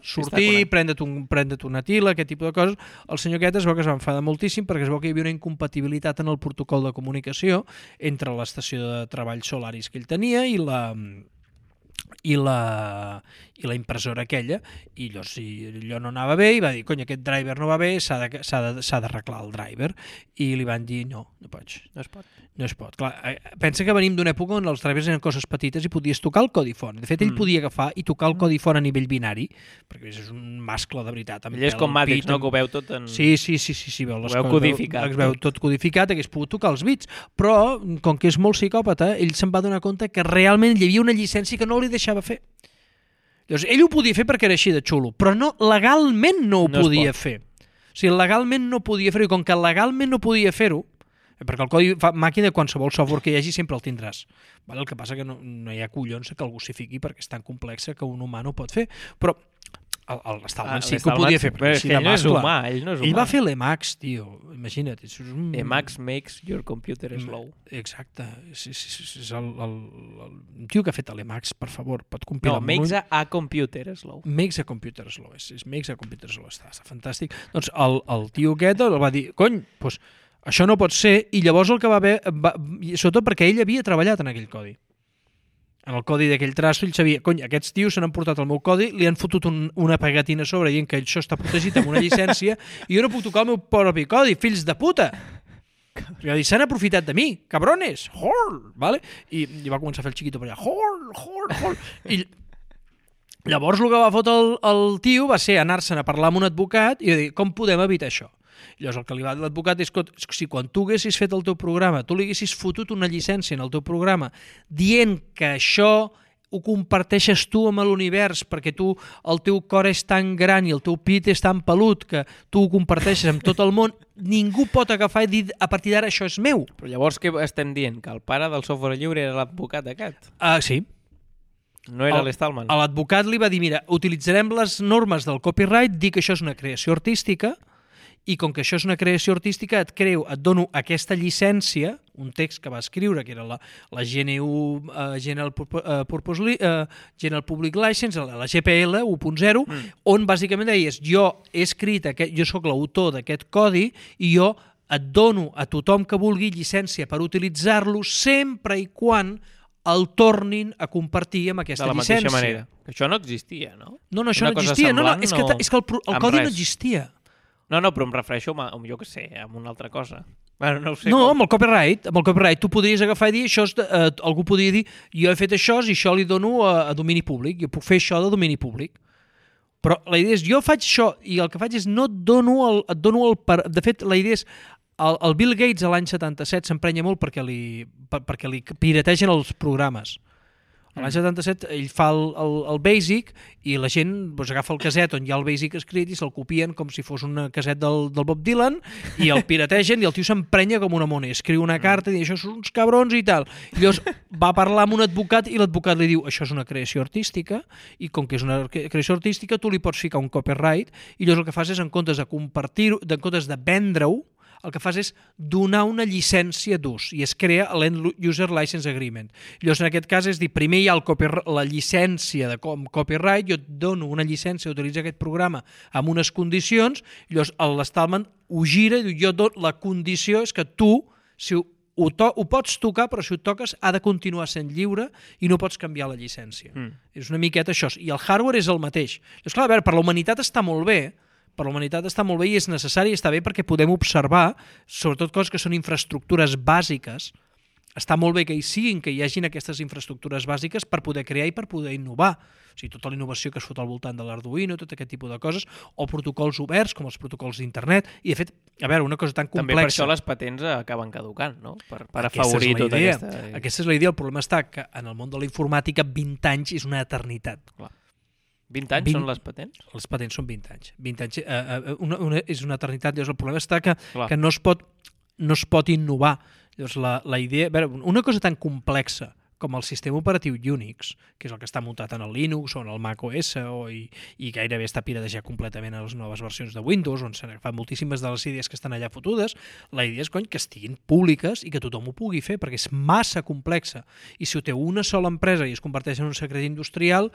sortir, prendre't una tila, aquest tipus de coses. El senyor aquest es veu que es va enfadar moltíssim perquè es veu que hi havia una incompatibilitat en el protocol de comunicació entre l'estació de treball Solaris que ell tenia i la impressora aquella, i allò no anava bé, i va dir, cony, aquest driver no va bé, s'ha d'arreglar el driver, i li van dir, no pots. No es pot. Clar, pensa que venim d'una època on els drivers eren coses petites i podies tocar el codi font. De fet, ell podia agafar i tocar el codi font a nivell binari, perquè és un mascle de veritat. Ell és com Matrix, no? Que ho veu tot en... Sí, veu codificat. Es veu tot codificat, hagués pogut tocar els bits, però, com que és molt psicòpata, ell se'n va donar compte que realment hi havia una llicència que no li deixava fer. Llavors, ell ho podia fer perquè era així de xulo, però legalment no ho podia fer. O sigui, legalment no podia fer-ho, i com que legalment no podia fer-ho, perquè el codi màquina, qualsevol software que hi hagi, sempre el tindràs. El que passa que no hi ha collons que el gossifiqui perquè és tan complexa que un humà no ho pot fer. Però l'Stallman sí que ho podia fer. Ell no és humà. Ell va fer l'Emacs, tio. Imagina't. Emacs makes your computer slow. Exacte. És el tio que ha fet l'Emacs, per favor, pot compilar. No, makes a computer slow. Makes a computer slow. Makes a computer slow. Està fantàstic. Doncs el tio aquest el va dir, cony, doncs això no pot ser, i llavors el que va haver, sobretot perquè ell havia treballat en aquell codi. En el codi d'aquell trasto ell sabia, cony, aquests tios s'han portat el meu codi, li han fotut una pegatina a sobre dient que això està protegit amb una llicència i jo no puc tocar el meu propi codi, fills de puta! S'han aprofitat de mi, cabrones! Hor! Vale? I va començar a fer el xiquito per allà, hor! I llavors el que va fotre el tio va ser anar-se'n a parlar amb un advocat i dir, com podem evitar això? Llavors el que li va dir l'advocat és que si quan tu haguessis fet el teu programa, tu li haguessis fotut una llicència en el teu programa dient que això ho comparteixes tu amb l'univers perquè el teu cor és tan gran i el teu pit és tan pelut que tu ho comparteixes amb tot el món, ningú pot agafar i dir a partir d'ara això és meu. Però llavors què estem dient? Que el pare del software lliure era l'advocat aquest? Sí. No era l'Stallman? L'advocat li va dir, mira, utilitzarem les normes del copyright, dir que això és una creació artística, i com que això és una creació artística, et dono aquesta llicència, un text que va escriure, que era la GNU, General Public License, la GPL 1.0, on bàsicament deies, jo he escrit, jo sóc l'autor d'aquest codi i jo et dono a tothom que vulgui llicència per utilitzar-lo sempre i quan el tornin a compartir amb aquesta llicència. De la mateixa manera. Això no existia, no? No, això no existia. És que el codi no existia. No, però em refereixo a, jo què sé, a una altra cosa. Bueno, no ho sé. No, amb el copyright tu podries agafar i dir, algú podria dir, jo he fet això i això li dono a domini públic, jo puc fer això de domini públic. Però la idea és, jo faig això i el que faig és no et dono el... De fet, la idea és, el Bill Gates a l'any 77 s'emprenya molt perquè li pirategen els programes. A l'any 77 ell fa el Basic i la gent agafa el caset on hi ha el Basic escrit i se'l copien com si fos un caset del Bob Dylan i el pirategen i el tio s'emprenya com una mona i escriu una carta i diu això són uns cabrons i tal. I llavors va parlar amb un advocat i l'advocat li diu això és una creació artística i com que és una creació artística tu li pots ficar un copyright i llavors el que fas és en comptes de compartir-ho, en comptes de vendre-ho, el que fas és donar una llicència d'ús i es crea l'End User License Agreement. Llavors, en aquest cas, és dir, primer hi ha la llicència de copyright, jo et dono una llicència d'utilitzar aquest programa amb unes condicions, llavors l'Stallman ho gira i diu, la condició és que tu, si ho pots tocar, però si ho toques ha de continuar sent lliure i no pots canviar la llicència. És una miqueta això. I el hardware és el mateix. Llavors, clar, a veure, per la humanitat està molt bé, i és necessari i està bé perquè podem observar, sobretot coses que són infraestructures bàsiques, està molt bé que hi siguin, que hi hagin aquestes infraestructures bàsiques per poder crear i per poder innovar. O sigui, tota la innovació que es fot al voltant de l'Arduino, tot aquest tipus de coses, o protocols oberts, com els protocols d'internet, i de fet, a veure, una cosa tan complexa... També per això les patents acaben caducant, no? Per afavorir tota aquesta... Aquesta és la idea. El problema està que en el món de la informàtica 20 anys és una eternitat. Clar. 20 anys són les patents? Les patents són 20 anys. 20 anys és una eternitat. Llavors, el problema està que no es pot innovar. Llavors, la idea... A veure, una cosa tan complexa com el sistema operatiu Unix, que és el que està muntat en el Linux o en el Mac OS i gairebé està piratejat completament a les noves versions de Windows, on s'han agafat moltíssimes de les idees que estan allà fotudes, la idea és que estiguin públiques i que tothom ho pugui fer, perquè és massa complexa. I si ho té una sola empresa i es converteix en un secret industrial,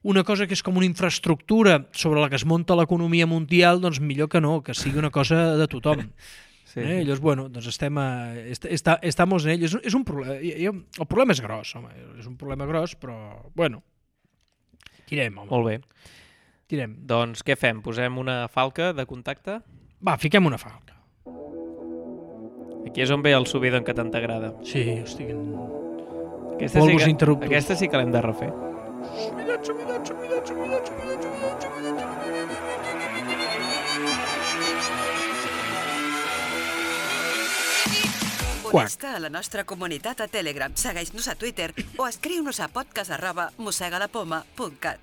una cosa que és com una infraestructura sobre la que es munta l'economia mundial, doncs millor que no, que sigui una cosa de tothom. Sí. Llavors, bueno, doncs estamos en ell. És un problema. El problema és gros, home. És un problema gros, però, bueno, tirem, home. Molt bé. Tirem. Doncs què fem? Posem una falca de contacte? Va, fiquem una falca. Aquí és on ve el subidon que tant t'agrada. Sí, estic en... Polvos interruptus. Aquesta sí que l'hem de refer. Subidon. Connecta a la nostra comunitat a Telegram, segueix-nos a Twitter o escriu-nos a podcast@mossegadapoma.cat.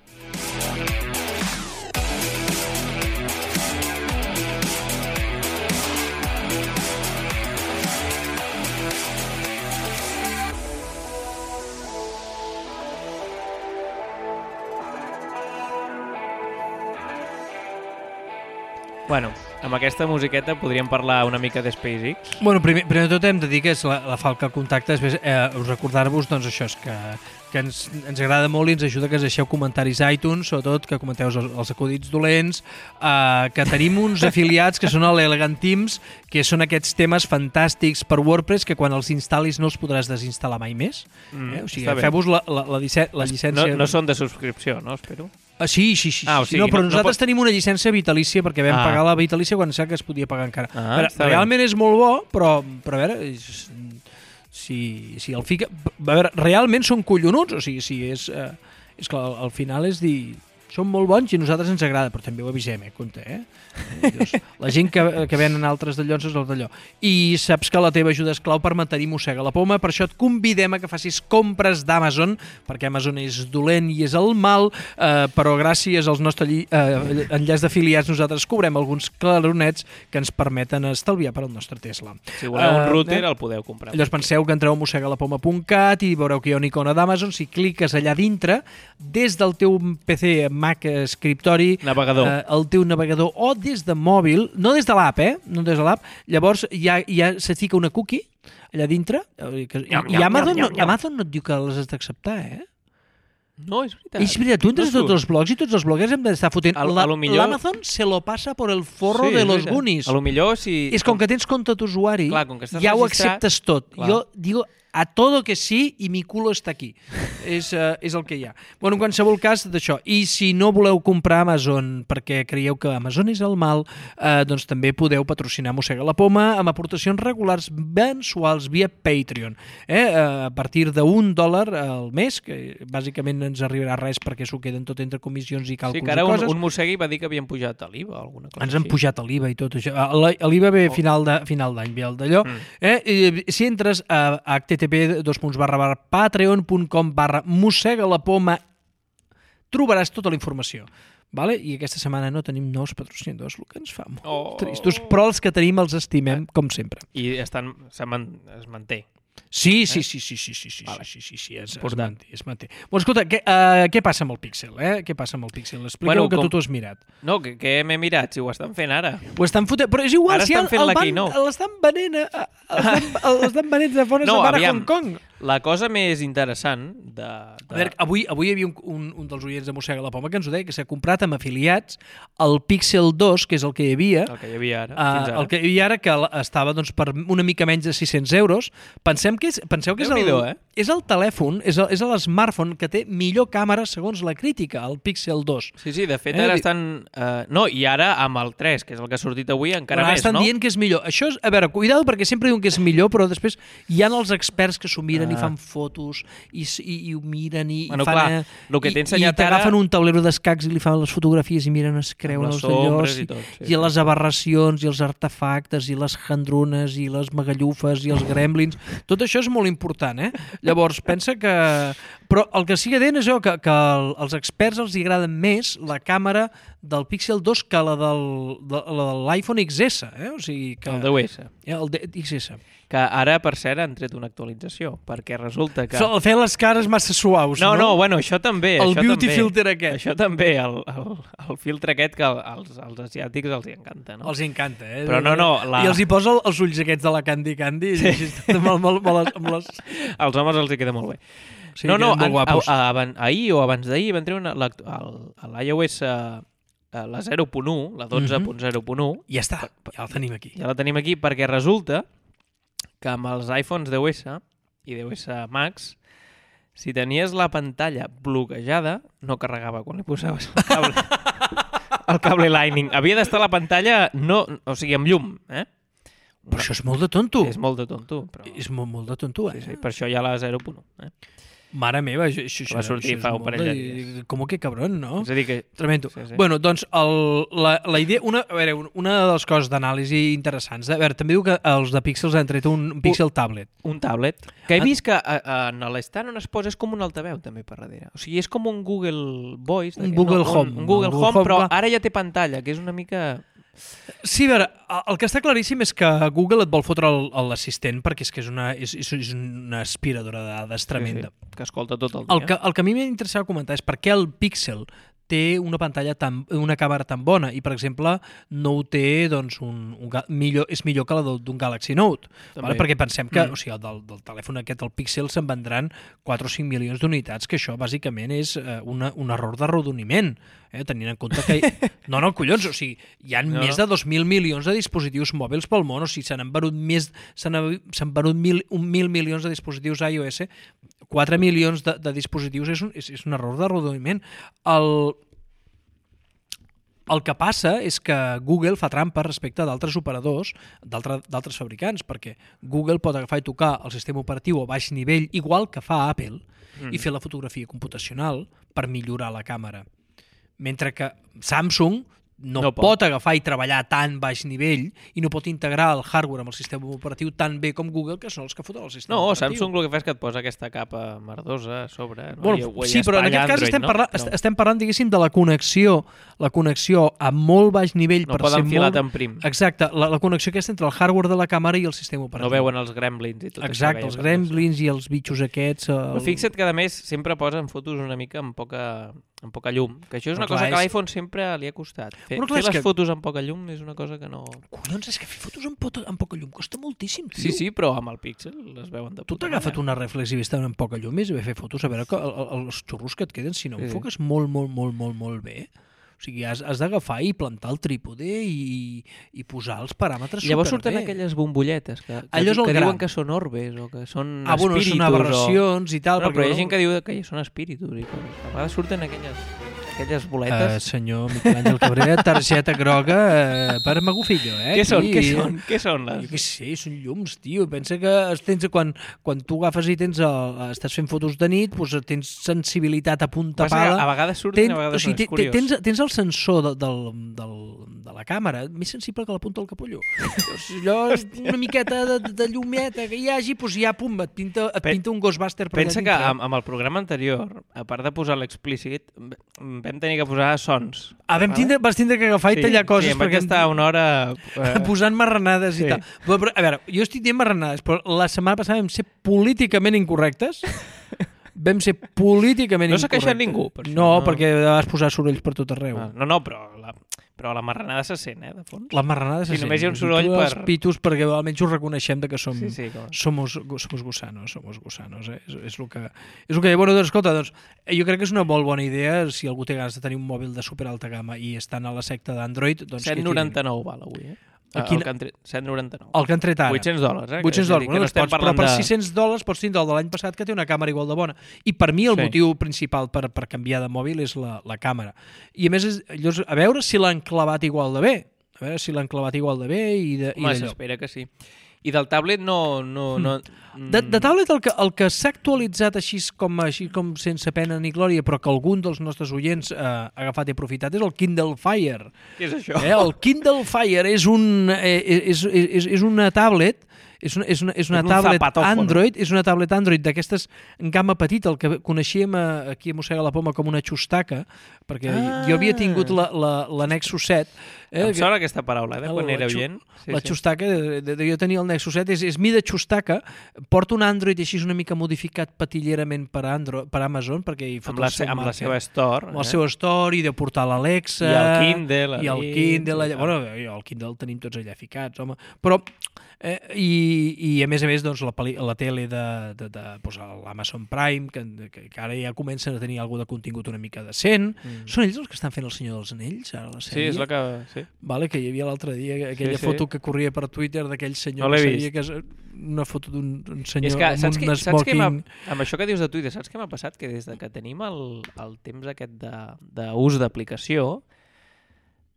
Bueno, amb aquesta musiqueta podríem parlar una mica de SpaceX. Bueno, primer de tot hem de dir que és la falca al contacte. Després, recordar-vos, doncs això, és que ens agrada molt i ens ajuda que ens deixeu comentaris a iTunes, sobretot que comenteu els acudits dolents, que tenim uns afiliats que són l'Elegant Teams, que són aquests temes fantàstics per WordPress que quan els instal·lis no els podràs desinstal·lar mai més. O sigui, feu-vos la llicència... No són de subscripció, no? Espero. Sí. O sigui, no, però nosaltres tenim una llicència vitalícia perquè vam pagar la vitalícia quan sap que es podia pagar encara. Realment és molt bo, però a veure, si el fica... A veure, realment són collonuts, o sigui, és que al final és dir... Són molt bons i a nosaltres ens agrada, però també ho avisem, compte, La gent que venen altres d'allò és el d'allò. I saps que la teva ajuda és clau per mantenir Mossega la Poma, per això et convidem a que facis compres d'Amazon, perquè Amazon és dolent i és el mal, però gràcies als nostres enllaç d'afiliats nosaltres cobrem alguns claronets que ens permeten estalviar per al nostre Tesla. Si voleu un router el podeu comprar. Llavors penseu que entreu a mossegalapoma.cat i veureu que hi ha una icona d'Amazon. Si cliques allà dintre, des del teu PC Mac escriptori, el teu navegador o des de mòbil, no des de l'app, no des de l'app, llavors ja se fica una cookie allà dintre i Amazon no et diu que les has d'acceptar, No, és veritat. És veritat, tu entres a tots els blogs i tots els bloguers hem d'estar fotent. L'Amazon se lo passa por el forro de los Goonies. A lo millor si... És com que tens compte d'usuari, ja ho acceptes tot. Jo digo a todo que sí i mi culo està aquí. És el que hi ha. Bueno, en qualsevol cas d'això. I si no voleu comprar Amazon perquè creieu que Amazon és el mal, doncs també podeu patrocinar Mossega la Poma amb aportacions regulars mensuals via Patreon. A partir d'$1 al mes, que bàsicament no ens arribarà res perquè s'ho queden tot entre comissions i càlculs i coses. Sí, que ara un mossegui va dir que havien pujat a l'IVA o alguna cosa així. Ens han pujat a l'IVA i tot això. L'IVA ve final d'any, ve el d'allò. Si entres a http://patreon.com/mossegalapoma trobaràs tota la informació. Vale? I aquesta setmana no tenim nous patrocinadors, el que ens fa molt tristos, però els que tenim els estimem, com sempre. I es manté. Sí, es manté. Bueno, escolta, què passa amb el Pixel? Què passa amb el Pixel? Expliqueu que tu t'ho has mirat. No, que m'he mirat, si ho estan fent ara. Ho estan fotent, però és igual, ara si l'estan venent de fora a Hong Kong. La cosa més interessant A veure, avui hi havia un dels oients de Mossega la Poma que ens ho deia, que s'ha comprat amb afiliats el Pixel 2, que és el que hi havia, el que hi havia ara, fins ara. El que hi havia ara, que estava doncs, per una mica menys de 600 euros. Penseu que és el telèfon, és l'smartphone que té millor càmera segons la crítica, el Pixel 2. Sí, de fet ara estan... No, i ara amb el 3, que és el que ha sortit avui, encara més, no? Estan dient que és millor. Això és, a veure, cuidado, perquè sempre diuen que és millor, però després hi ha els experts que s'ho miren i fan fotos i ho miren i fan... El que t'he ensenyat i t'agafen un taulero d'escacs i li fan les fotografies i miren, es creuen els d'allòs i les aberracions i els artefactes i les handrunes i les magallufes i els gremlins. Tot això és molt important, eh? Llavors, pensa que... Però el que sí que deien és que als experts els agrada més la càmera del Pixel 2 que la de l'iPhone XS, o sigui que... El 10S. El XS. Que ara, per cert, han tret una actualització, perquè resulta que... Fer les cares massa suaus, no? No, bueno, això també. El beauty filter aquest. Això també, el filtre aquest que als asiàtics els encanta, no? Els encanta, eh? Però no... I els hi posa els ulls aquests de la Candy Candy i amb les... Als homes els hi queda molt bé. Sí, no, ahir o abans d'ahir van treure l'iOS la 0.1, la 12.0.1. Ja està, ja la tenim aquí. Ja la tenim aquí perquè resulta que amb els iPhones 10S i 10S Max, si tenies la pantalla bloquejada, no carregava quan li posaves el cable Lightning. Havia d'estar la pantalla, o sigui, amb llum, eh? Però això és molt de tonto. És molt de tonto. Però... És molt de tonto, eh? Sí, per això hi ha la 0.1, eh? Mare meva, això va sortir fa un parell de dies. Com que cabrón, no? És a dir que... Tremendo. Sí. Bueno, doncs, la idea... Una de les coses d'anàlisi interessants... A veure, també diu que els de Pixels han tret un Pixel Tablet. Un tablet. Que he vist que en l'estat on es posa és com un altaveu, també, per darrere. O sigui, és com un Google Voice. Un Google Home. Un Google Home, però ara ja té pantalla, que és una mica... Sí, a veure, el que està claríssim és que Google et vol fotre l'assistent perquè és que és una aspiradora de dades tremenda. Sí, que escolta tot el dia. El que a mi m'interessava comentar és per què el Pixel té una una càmera tan bona i, per exemple, no ho té, doncs, és millor que la d'un Galaxy Note. Vale? Perquè pensem que o sigui, del telèfon aquest, el Pixel, se'n vendran 4 o 5 milions d'unitats, que això, bàsicament, és un error d'arrodoniment, tenint en compte que... No, collons, o sigui, hi ha més de 2.000 milions de dispositius mòbils pel món, o sigui, s'han venut 1.000 milions de dispositius iOS, 4 milions de dispositius és un error d'arrodoniment. El que passa és que Google fa trampa respecte d'altres operadors, d'altres fabricants, perquè Google pot agafar i tocar el sistema operatiu a baix nivell, igual que fa Apple, i fer la fotografia computacional per millorar la càmera. Mentre que Samsung no pot agafar i treballar a tan baix nivell i no pot integrar el hardware amb el sistema operatiu tan bé com Google, que són els que foten el sistema operatiu. Samsung el que fa és que et posa aquesta capa merdosa a sobre. No? Bueno, sí, però en aquest cas estem parlant, diguéssim, de la connexió a molt baix nivell. No poden filar tan prim. Exacte, la connexió aquesta entre el hardware de la càmera i el sistema operatiu. No veuen els gremlins i tot això. Exacte, els gremlins i els bitxos aquests. Però fixa't que, a més, sempre posen fotos una mica amb poca llum, que això és una cosa que a l'iPhone sempre li ha costat. Fer les fotos amb poca llum és una cosa que no... Collons, és que fer fotos amb poca llum costa moltíssim, tio. Sí, però amb el Pixel les veuen de puta. Tu t'ha agafat una reflex i vista amb poca llum i fer fotos, a veure els xurros que et queden, si no enfoques molt bé. O sigui, has d'agafar i plantar el trípode i posar els paràmetres superbé. Llavors surten aquelles bombolletes que diuen que són orbes o que són espíritus. Bueno, són aberracions i tal. Però hi ha gent que diu que són espíritus i coses. A vegades surten aquelles boletes. Senyor Miquel Àngel Cabrera, targeta groga per Magufillo, Què són? Què són? Jo què sé, són llums, tio. Pensa que quan tu agafes i estàs fent fotos de nit, doncs tens sensibilitat a punta pala. A vegades surten, a vegades no, és curiós. Tens el sensor de la càmera més sensible que la punta del capullo. Allò, una miqueta de llumeta que hi hagi, doncs ja, pum, et pinta un Ghostbuster per allà dintre. Pensa que amb el programa anterior, a part de posar l'explícit, vam tenir que posar sons. Vas tindre que agafar i tallar coses. Sí, em vaig estar una hora... posant marranades i tal. Però, a veure, jo estic dient marranades, però la setmana passada vam ser políticament incorrectes. Vam ser políticament incorrectes. No s'ha queixat ningú, per això. No, perquè vas posar sorolls per tot arreu. No, però Però la marranada se sent, de fons. La marranada se sent. només hi ha un soroll els pitos, perquè almenys ho reconeixem de que som, com... somos gusanos, És el que... Bueno, doncs, escolta, jo crec que és una molt bona idea si algú té ganes de tenir un mòbil de super alta gamma i estan a la secta d'Android, doncs 7,99 val avui, El que han tret 7,99. El que han tret ara. $800, $800. Bueno, però per $600 pots tindre el de l'any passat, que té una càmera igual de bona. I per mi el motiu principal per canviar de mòbil és la càmera. I a més, a veure si l'han clavat igual de bé. Home, s'espera que sí. I del tablet no... De tablet el que s'ha actualitzat així com sense pena ni glòria, però que algun dels nostres oients ha agafat i aprofitat, és el Kindle Fire. Què és això? El Kindle Fire és una tablet... És una tablet Android, és una tablet Android d'aquestes en gamma petita, el que coneixíem aquí a Mossega la Poma com una xustaca, perquè jo havia tingut la Nexus 7. Em sona aquesta paraula, quan era oient. La xustaca, jo tenia el Nexus 7, és mida xustaca, porta un Android així una mica modificat patillerament per Amazon, perquè hi fot amb la seva store. Amb el seu store, i de portar l'Alexa. I el Kindle. I el Kindle. Bueno, el Kindle el tenim tots allà ficats, home. Però... I a més, la tele de l'Amazon Prime, que ara ja comencen a tenir alguna de contingut una mica decent. Són ells els que estan fent El Senyor dels Anells, ara la sèrie? Sí, és la que... Sí. Vale, que hi havia l'altre dia aquella foto que corria per Twitter d'aquell senyor no que sabia que és una foto d'un senyor amb un smoking. Amb això que dius de Twitter, saps què m'ha passat? Que des que tenim el temps aquest d'ús d'aplicació,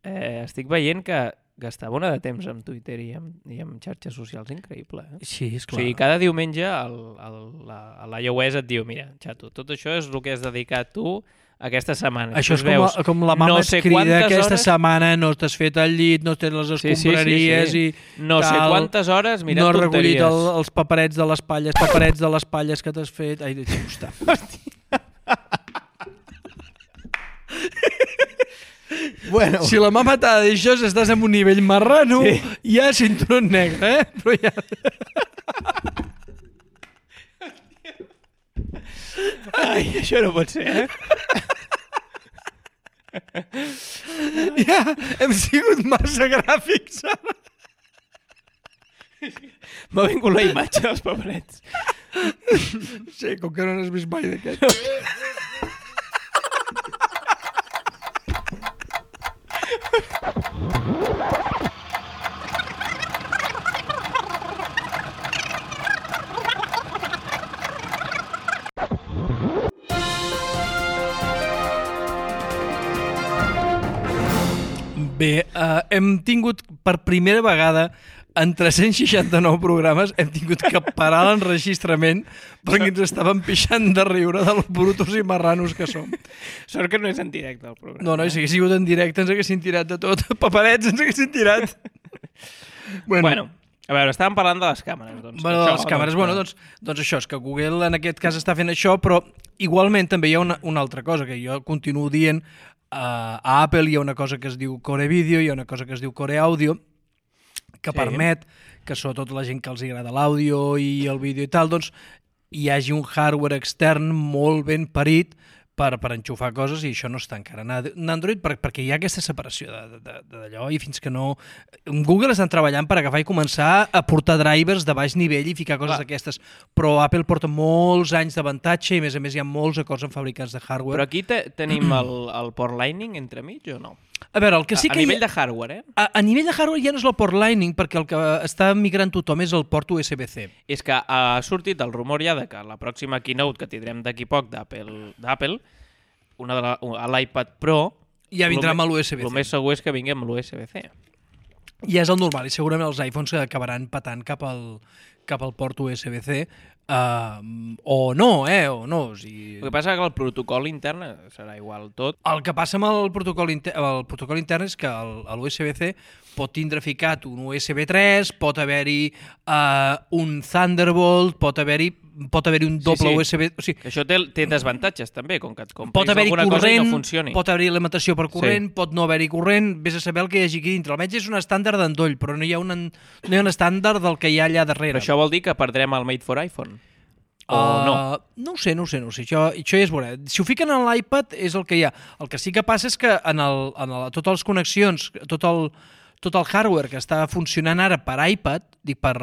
estic veient que gastava una de temps amb Twitter i amb xarxes socials increïble. Sí, és clar. O sigui, cada diumenge l'iOS et diu, mira, xato, tot això és el que has dedicat tu aquesta setmana. Això és com la mama et crida, aquesta setmana no t'has fet el llit, no tens les escombraries i no sé quantes hores mirant tonteries. No has recollit els paperets de les palles que t'has fet. Ai, deixa'm estar. Bueno. Si la mama t'ha dit això, estàs en un nivell marrano, ja cinturó negre, Però ja... Ai, això no pot ser, Ja, hem sigut massa gràfics, ara. M'ha vingut la imatge dels paperets. Sí, com que no n'has vist mai d'aquest. Bé, hem tingut per primera vegada en 369 programes hem tingut que parar l'enregistrament perquè ens estàvem pixant de riure de los brutos i marranos que som. Sort que no és en directe el programa. No, si hagués sigut en directe ens haguessin tirat de tot. Paperets ens haguessin tirat. Bueno, a veure, estàvem parlant de les càmeres. De les càmeres. Doncs això, és que Google en aquest cas està fent això, però igualment també hi ha una altra cosa que jo continuo dient. A Apple hi ha una cosa que es diu Core Video, hi ha una cosa que es diu Core Audio, que permet que sobretot la gent que els agrada l'àudio i el vídeo i tal, doncs hi hagi un hardware extern molt ben parit per enxufar coses, i això no està encara en Android perquè hi ha aquesta separació d'allò, i fins que no... Google estan treballant per agafar i començar a portar drivers de baix nivell i ficar coses d'aquestes, però Apple porta molts anys d'avantatge i a més hi ha molts acords amb fabricants de hardware. Però aquí tenim el port Lightning entremig o no? A veure, el que sí que... A nivell de hardware, A nivell de hardware ja no és el port Lightning, perquè el que està migrant tothom és el port USB-C. És que ha sortit el rumor ja de que la pròxima keynote que tindrem d'aquí poc d'Apple, l'iPad Pro, ja vindrà amb l'USB-C. El més segur és que vingui amb l'USB-C. Ja és el normal, i segurament els iPhones acabaran patant cap al port USB-C, o no, o no. O sigui... El que passa és que el protocol intern serà igual tot. El que passa amb el protocol intern és que l'USB-C pot tindre ficat un USB 3, pot haver-hi un Thunderbolt, pot haver-hi un doble USB... O sigui, això té desavantatges també, com que et compris alguna cosa i no funcioni. Pot haver-hi alimentació per corrent, pot no haver-hi corrent, vés a saber el que hi hagi aquí dintre. Almenys és un estàndard d'endoll, però no hi ha un estàndard del que hi ha allà darrere. Però això vol dir que perdrem el Made for iPhone. o no? No ho sé. Això ja es veurà. Si ho fiquen en l'iPad és el que hi ha. El que sí que passa és que en totes les connexions, tot el hardware que està funcionant ara per iPad, dic per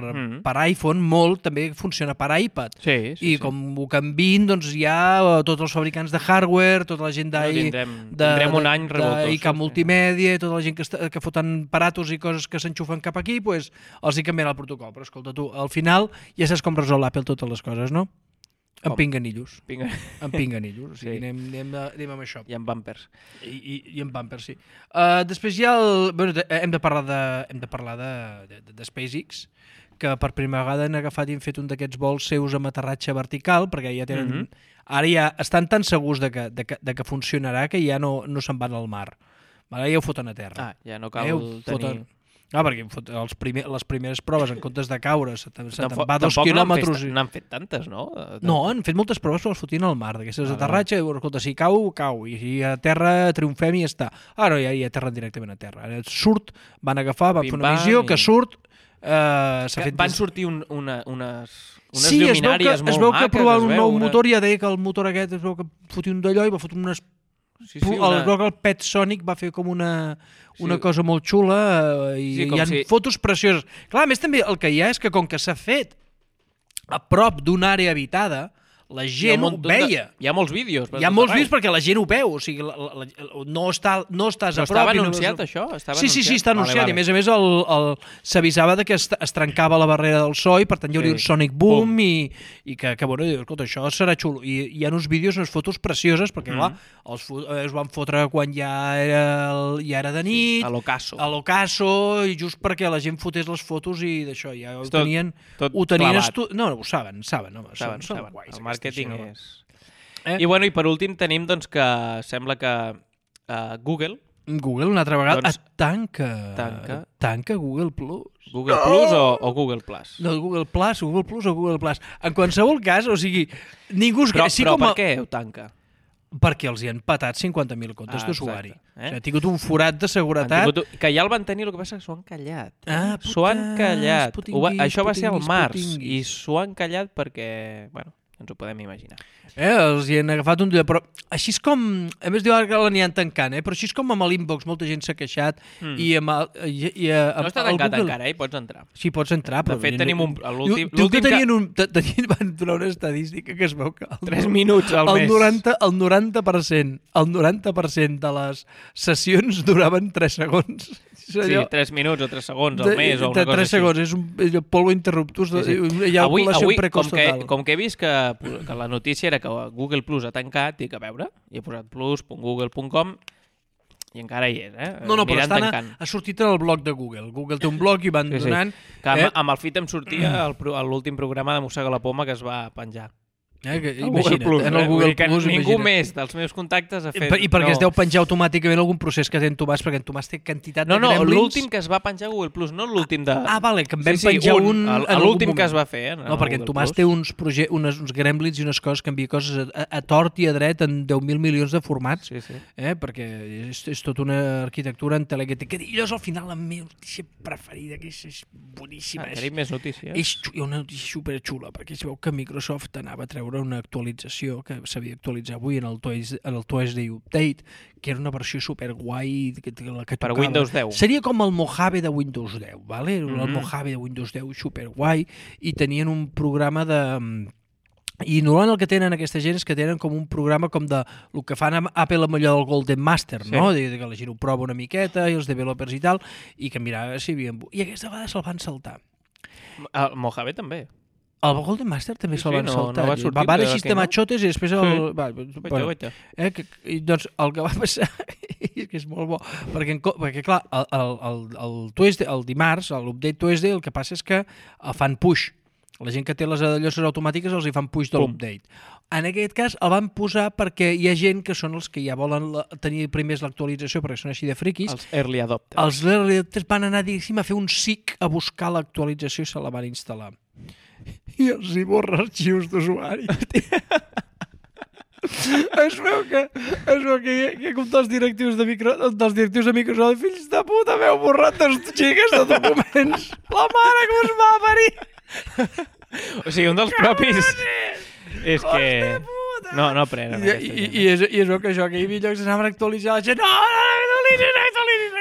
iPhone, molt també funciona per iPad. Sí. Com ho canvin, doncs hi ha tots els fabricants de hardware, tota la gent tindrem un any revoltosos. d'ICA Multimèdia, tota la gent que foten aparatos i coses que s'enxufen cap aquí, doncs els hi canvien el protocol. Però escolta tu, al final ja saps com resol l'Apple totes les coses, no? Amb pinganillos. Amb pinganillos. O sigui, anem amb això. I amb bumpers. I amb bumpers, sí. Després ja hem de parlar de SpaceX, que per primera vegada han agafat i han fet un d'aquests vols seus amb aterratge vertical, perquè ja tenen... Ara ja estan tan segurs de que funcionarà que ja no se'n van al mar. Ara ja ho foten a terra. Ja no cal tenir... perquè les primeres proves, en comptes de caure, se'n va 2 quilòmetres... N'han fet tantes, no? No, han fet moltes proves, però les fotien al mar. D'aquestes aterratge, escolta, si cau. I si a terra triomfem i ja està. No, ja aterren directament a terra. Surt, van agafar, van fer una missió, que surt... Van sortir unes lluminàries molt maques. Es veu que provar un nou motor, ja deia que el motor aquest es veu que fotia un d'allò i va fotre unes... Es veu que el Pet Sonic va fer com una cosa molt xula i hi ha fotos precioses. Clar, a més també el que hi ha és que com que s'ha fet a prop d'una àrea habitada, la gent ho veia. Hi ha molts vídeos. Hi ha molts vídeos perquè la gent ho veu. O sigui, no estàs a prop. Però estava anunciat, això? Sí, està anunciat. I a més s'avisava que es trencava la barrera del so i per tant hi hauria un sonic boom i que escolta, això serà xulo. I hi ha uns vídeos, unes fotos precioses perquè, clar, els van fotre quan ja era de nit. A l'ocaso. I just perquè la gent fotés les fotos i d'això. Ja ho tenien... No, ho saben. Són guais. Marketing és... I per últim tenim doncs, que sembla que Google una altra vegada tanca Google Plus. Google Plus o Google Plus? No, Google Plus o Google Plus. En qualsevol cas, o sigui, ningú... Però per què ho tanca? Perquè els hi han patat 50.000 comptes d'usuari. Han tingut un forat de seguretat... Que ja el van tenir, el que passa és que s'ho han callat. S'ho han callat. Això va ser al març i s'ho han callat perquè... ens ho podem imaginar. Els hi han agafat un dia, però així és com... A més, diu ara que l'anien tancant, però així és com amb l'Inbox, molta gent s'ha queixat i amb... No està tancat encara, pots entrar. Sí, pots entrar, però... De fet, tenim l'últim... Diu que van donar una estadística que es veu que... 3 minuts al mes. El 90% de les sessions duraven 3 segons. Sí, 3 minuts o 3 segons al mes o una cosa 3 segons, és un polvo interruptus. Hi ha ovulació precoç total. Com que he vist que la notícia era que Google Plus ha tancat, dic, a veure, i he posat plus.google.com i encara hi és, No, però ha sortit en el blog de Google. Google té un blog i van donant... Amb el feed em sortia l'últim programa de Mossega la Poma que es va penjar. Imagina't, en el Google Plus, ningú més dels meus contactes ha fet... I perquè es deu penjar automàticament algun procés que té en Tomàs, perquè en Tomàs té quantitat de gremlins... No, l'últim que es va penjar a Google Plus, no l'últim de... Vale, que en vam penjar un... L'últim que es va fer, No, perquè en Tomàs té uns gremlins i unes coses que envia coses a tort i a dret en 10.000 milions de formats, perquè és tota una arquitectura en tele que és al final la meva notícia preferida, que és boníssima. Tenim més notícies. És una notícia superxula, perquè es veu que Microsoft anava a treure una actualització que s'havia d'actualitzar avui en el Tuesday Update, que era una versió superguai que per Windows 10. Seria com el Mojave de Windows 10, ¿vale? El Mojave de Windows 10 superguai, i tenien un programa de... I normalment el que tenen aquesta gent és que tenen com un programa com de el que fan amb Apple amb allò del Golden Master, no? Que la gent ho prova una miqueta, i els developers i tal, i que mirava si havien... I aquesta vegada se'l van saltar. El Mojave també. El Golden Master també se'l van saltar. No va sortir, van així machotes i després doncs el que va passar és que és molt bo, perquè clar, el dimarts, l'update Tuesday, el que passa és que fan push. La gent que té les llosses automàtiques els hi fan push de l'update. En aquest cas el van posar perquè hi ha gent que són els que ja volen tenir primers l'actualització perquè són així de friquis. Els early adopters. Els early adopters van anar, diguéssim, a fer un SIC a buscar l'actualització i se la van instal·lar. I els hi borra arxius d'usuari. Es veu que com dels directius de Microsoft, fills de puta, m'heu borrat 2 gigas de documents. La mare que us va parir. O sigui, un dels propis... És que... No aprenen aquesta gent. I es veu que això, que hi havia llocs que s'anaven a actualitzar la gent. No,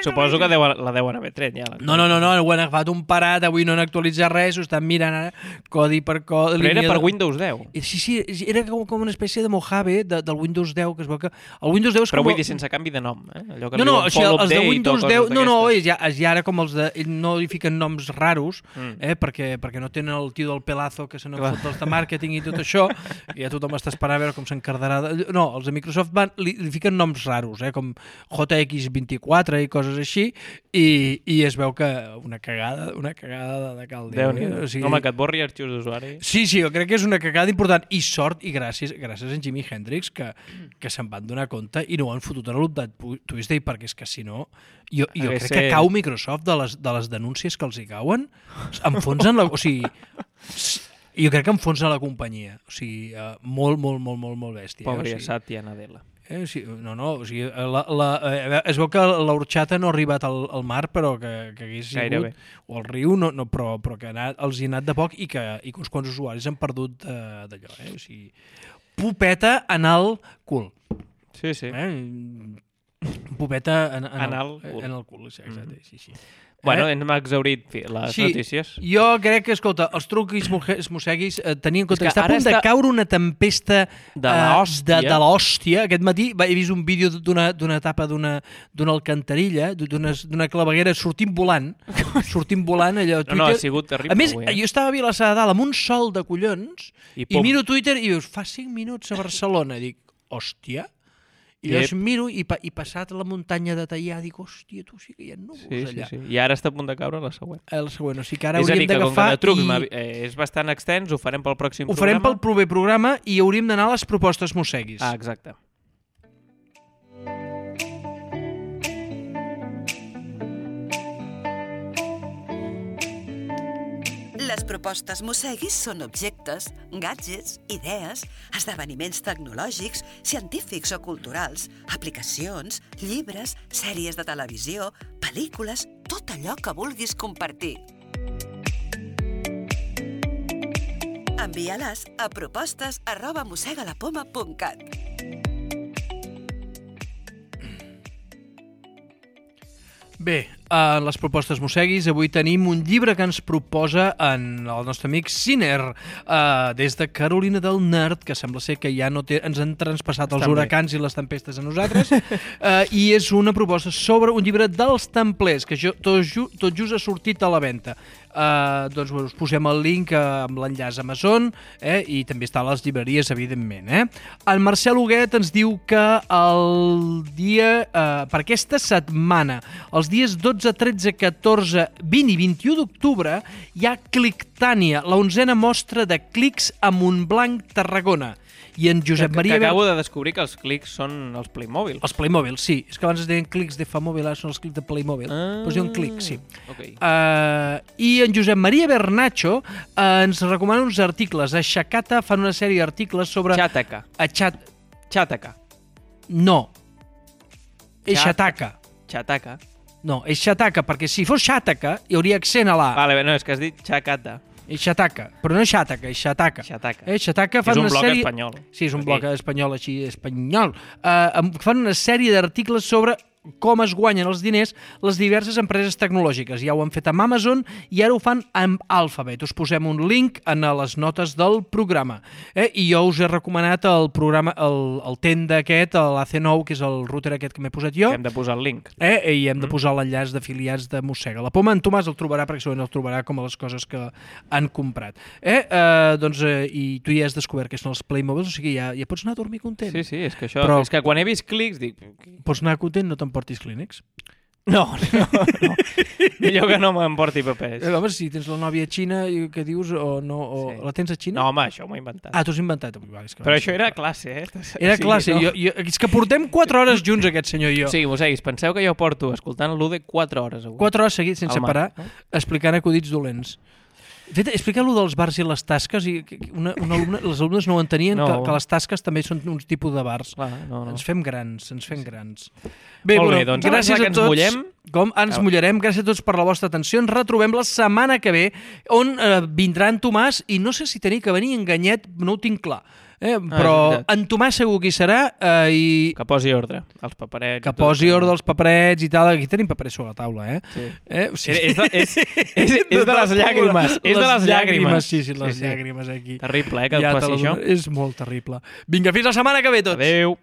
Suposo que la deuen haver tret, ja. No, ho han agafat un parat, avui no han actualitzat res, ho estan mirant ara, codi per codi. Però era per Windows 10. Sí, era com una espècie de Mojave del Windows 10, que es veu que... El Windows 10 és però com... vull dir, sense canvi de nom, Allò que No, o sigui, els de Windows 10... ja ara com els de... No hi fiquen noms raros, perquè no tenen el tio del pelazo que se n'ha fot dels de màrqueting i tot això, i ja tothom està esperant a veure com s'encardarà... No, els de Microsoft li fiquen noms raros, com JX24 i coses així, i es veu que una cagada de cal Déu. O sigui... Home, que et borri arxius d'usuari. Sí, jo crec que és una cagada important, i sort i gràcies a en Jimi Hendrix que se'n van donar compte i no ho han fotut en l'Update Tuesday, perquè és que si no jo crec que cau Microsoft de les denúncies que els hi cauen, enfonsen la... O sigui, jo crec que enfonsen la companyia, o sigui, molt bèstia. Pobra Satya Nadella. Sí, o sigui, es veu que l'orxata no ha arribat al mar, però que hagués sigut, o al riu, però que els hi ha anat de poc i que uns quants usuaris han perdut d'allò. O sigui, pupeta en el cul. Sí. Pupeta en el cul, exacte, sí. Bueno, hem exhaurit les notícies. Jo crec que, escolta, els truquis mosseguis tenien en compte que està a punt de caure una tempesta de l'hòstia. Aquest matí he vist un vídeo d'una etapa d'una alcantarilla, d'una claveguera sortint volant allò a Twitter. No, ha sigut terrible. A més, jo estava a Vilassar de Dalt amb un sol de collons i miro Twitter i dius, fa 5 minuts a Barcelona. I dic, hòstia... I llavors miro i passat la muntanya de Teià dic, hòstia, tu sí que hi ha núvols allà. Sí. I ara està a punt de caure la següent. O sigui que ara hauríem d'agafar... És bastant extens, ho farem pel pròxim programa. Ho farem pel proper programa i hauríem d'anar a les propostes mosseguis. Exacte. Les propostes mosseguis són objectes, gadgets, idees, esdeveniments tecnològics, científics o culturals, aplicacions, llibres, sèries de televisió, pel·lícules, tot allò que vulguis compartir. Envia-les a propostes@mossegalapoma.cat. Bé, en les propostes mosseguis avui tenim un llibre que ens proposa el nostre amic Sinner des de Carolina del Nord, que sembla ser que ja ens han transpassat els huracans i les tempestes a nosaltres, i és una proposta sobre un llibre dels templers, que tot just ha sortit a la venda. Doncs us posem el link amb l'enllaç Amazon i també està a les llibreries, evidentment. El Marcel Huguet ens diu que per aquesta setmana, els dies 12, 13, 14, 20 i 21 d'octubre, hi ha Clictània, la 11a mostra de clics a Montblanc, Tarragona. I en Josep Maria... Acabo de descobrir que els clics són els Playmobil. Els Playmobil, sí. És que abans es deien clics de Famòbil, ara són els clics de Playmobil. Però es diuen clics, sí. I en Josep Maria Bernacho ens recomana uns articles. A Xacata fan una sèrie d'articles sobre... Xataca. Xataca. No. És Xataca. Xataca. No, és Xataca, perquè si fos Xataca hi hauria accent a l'A. Vale, no, és que has dit Xacata. És Xataca, però no és Xataca, és Xataca. Xataca fan una sèrie... És un blog espanyol. Sí, és un blog espanyol, així, espanyol. Fan una sèrie d'articles sobre com es guanyen els diners les diverses empreses tecnològiques. Ja ho han fet amb Amazon i ara ho fan amb Alphabet. Us posem un link en les notes del programa. I jo us he recomanat el programa, el Tenda aquest, l'AC9, que és el router aquest que m'he posat jo. Hem de posar el link. I hem de posar l'enllaç d'afiliats de Mossega la Poma. En Tomàs el trobarà, perquè segurament el trobarà com a les coses que han comprat. I tu ja has descobert que són els Playmobils, o sigui, ja pots anar a dormir content. Sí, és que això... Però... És que quan he vist clics dic... Pots anar content, no t'emportis clínics? No. Millor que no m'emporti papers. Home, si tens la nòvia xina, què dius? O la tens a Xina? No, home, això m'ho he inventat. T'ho has inventat. Però això era classe, Era classe. És que portem 4 hores junts, aquest senyor i jo. Sí, mosseguis, penseu que jo porto escoltant l'Ude 4 hores avui. 4 hores seguits, sense parar, explicant acudits dolents. Fet, explica-lo dels bars i les tasques, i les alumnes no ho entenien, que les tasques també són un tipus de bars. Ens fem grans. Bé, molt bé, doncs gràcies a tots. Ens mullem. Com ens mullarem. Gràcies a tots per la vostra atenció. Ens retrobem la setmana que ve, on vindrà en Tomàs, i no sé si tenir que venir en Ganyet, no ho tinc clar. Però en Tomàs segur qui serà i... Que posi ordre als paperets. Que posi ordre als paperets i tal. Aquí tenim paperets sobre la taula, Sí. O sigui... És de les llàgrimes. És de les llàgrimes. Sí, les llàgrimes aquí. Terrible, que et passi això. És molt terrible. Vinga, fins la setmana que ve tots. Adéu.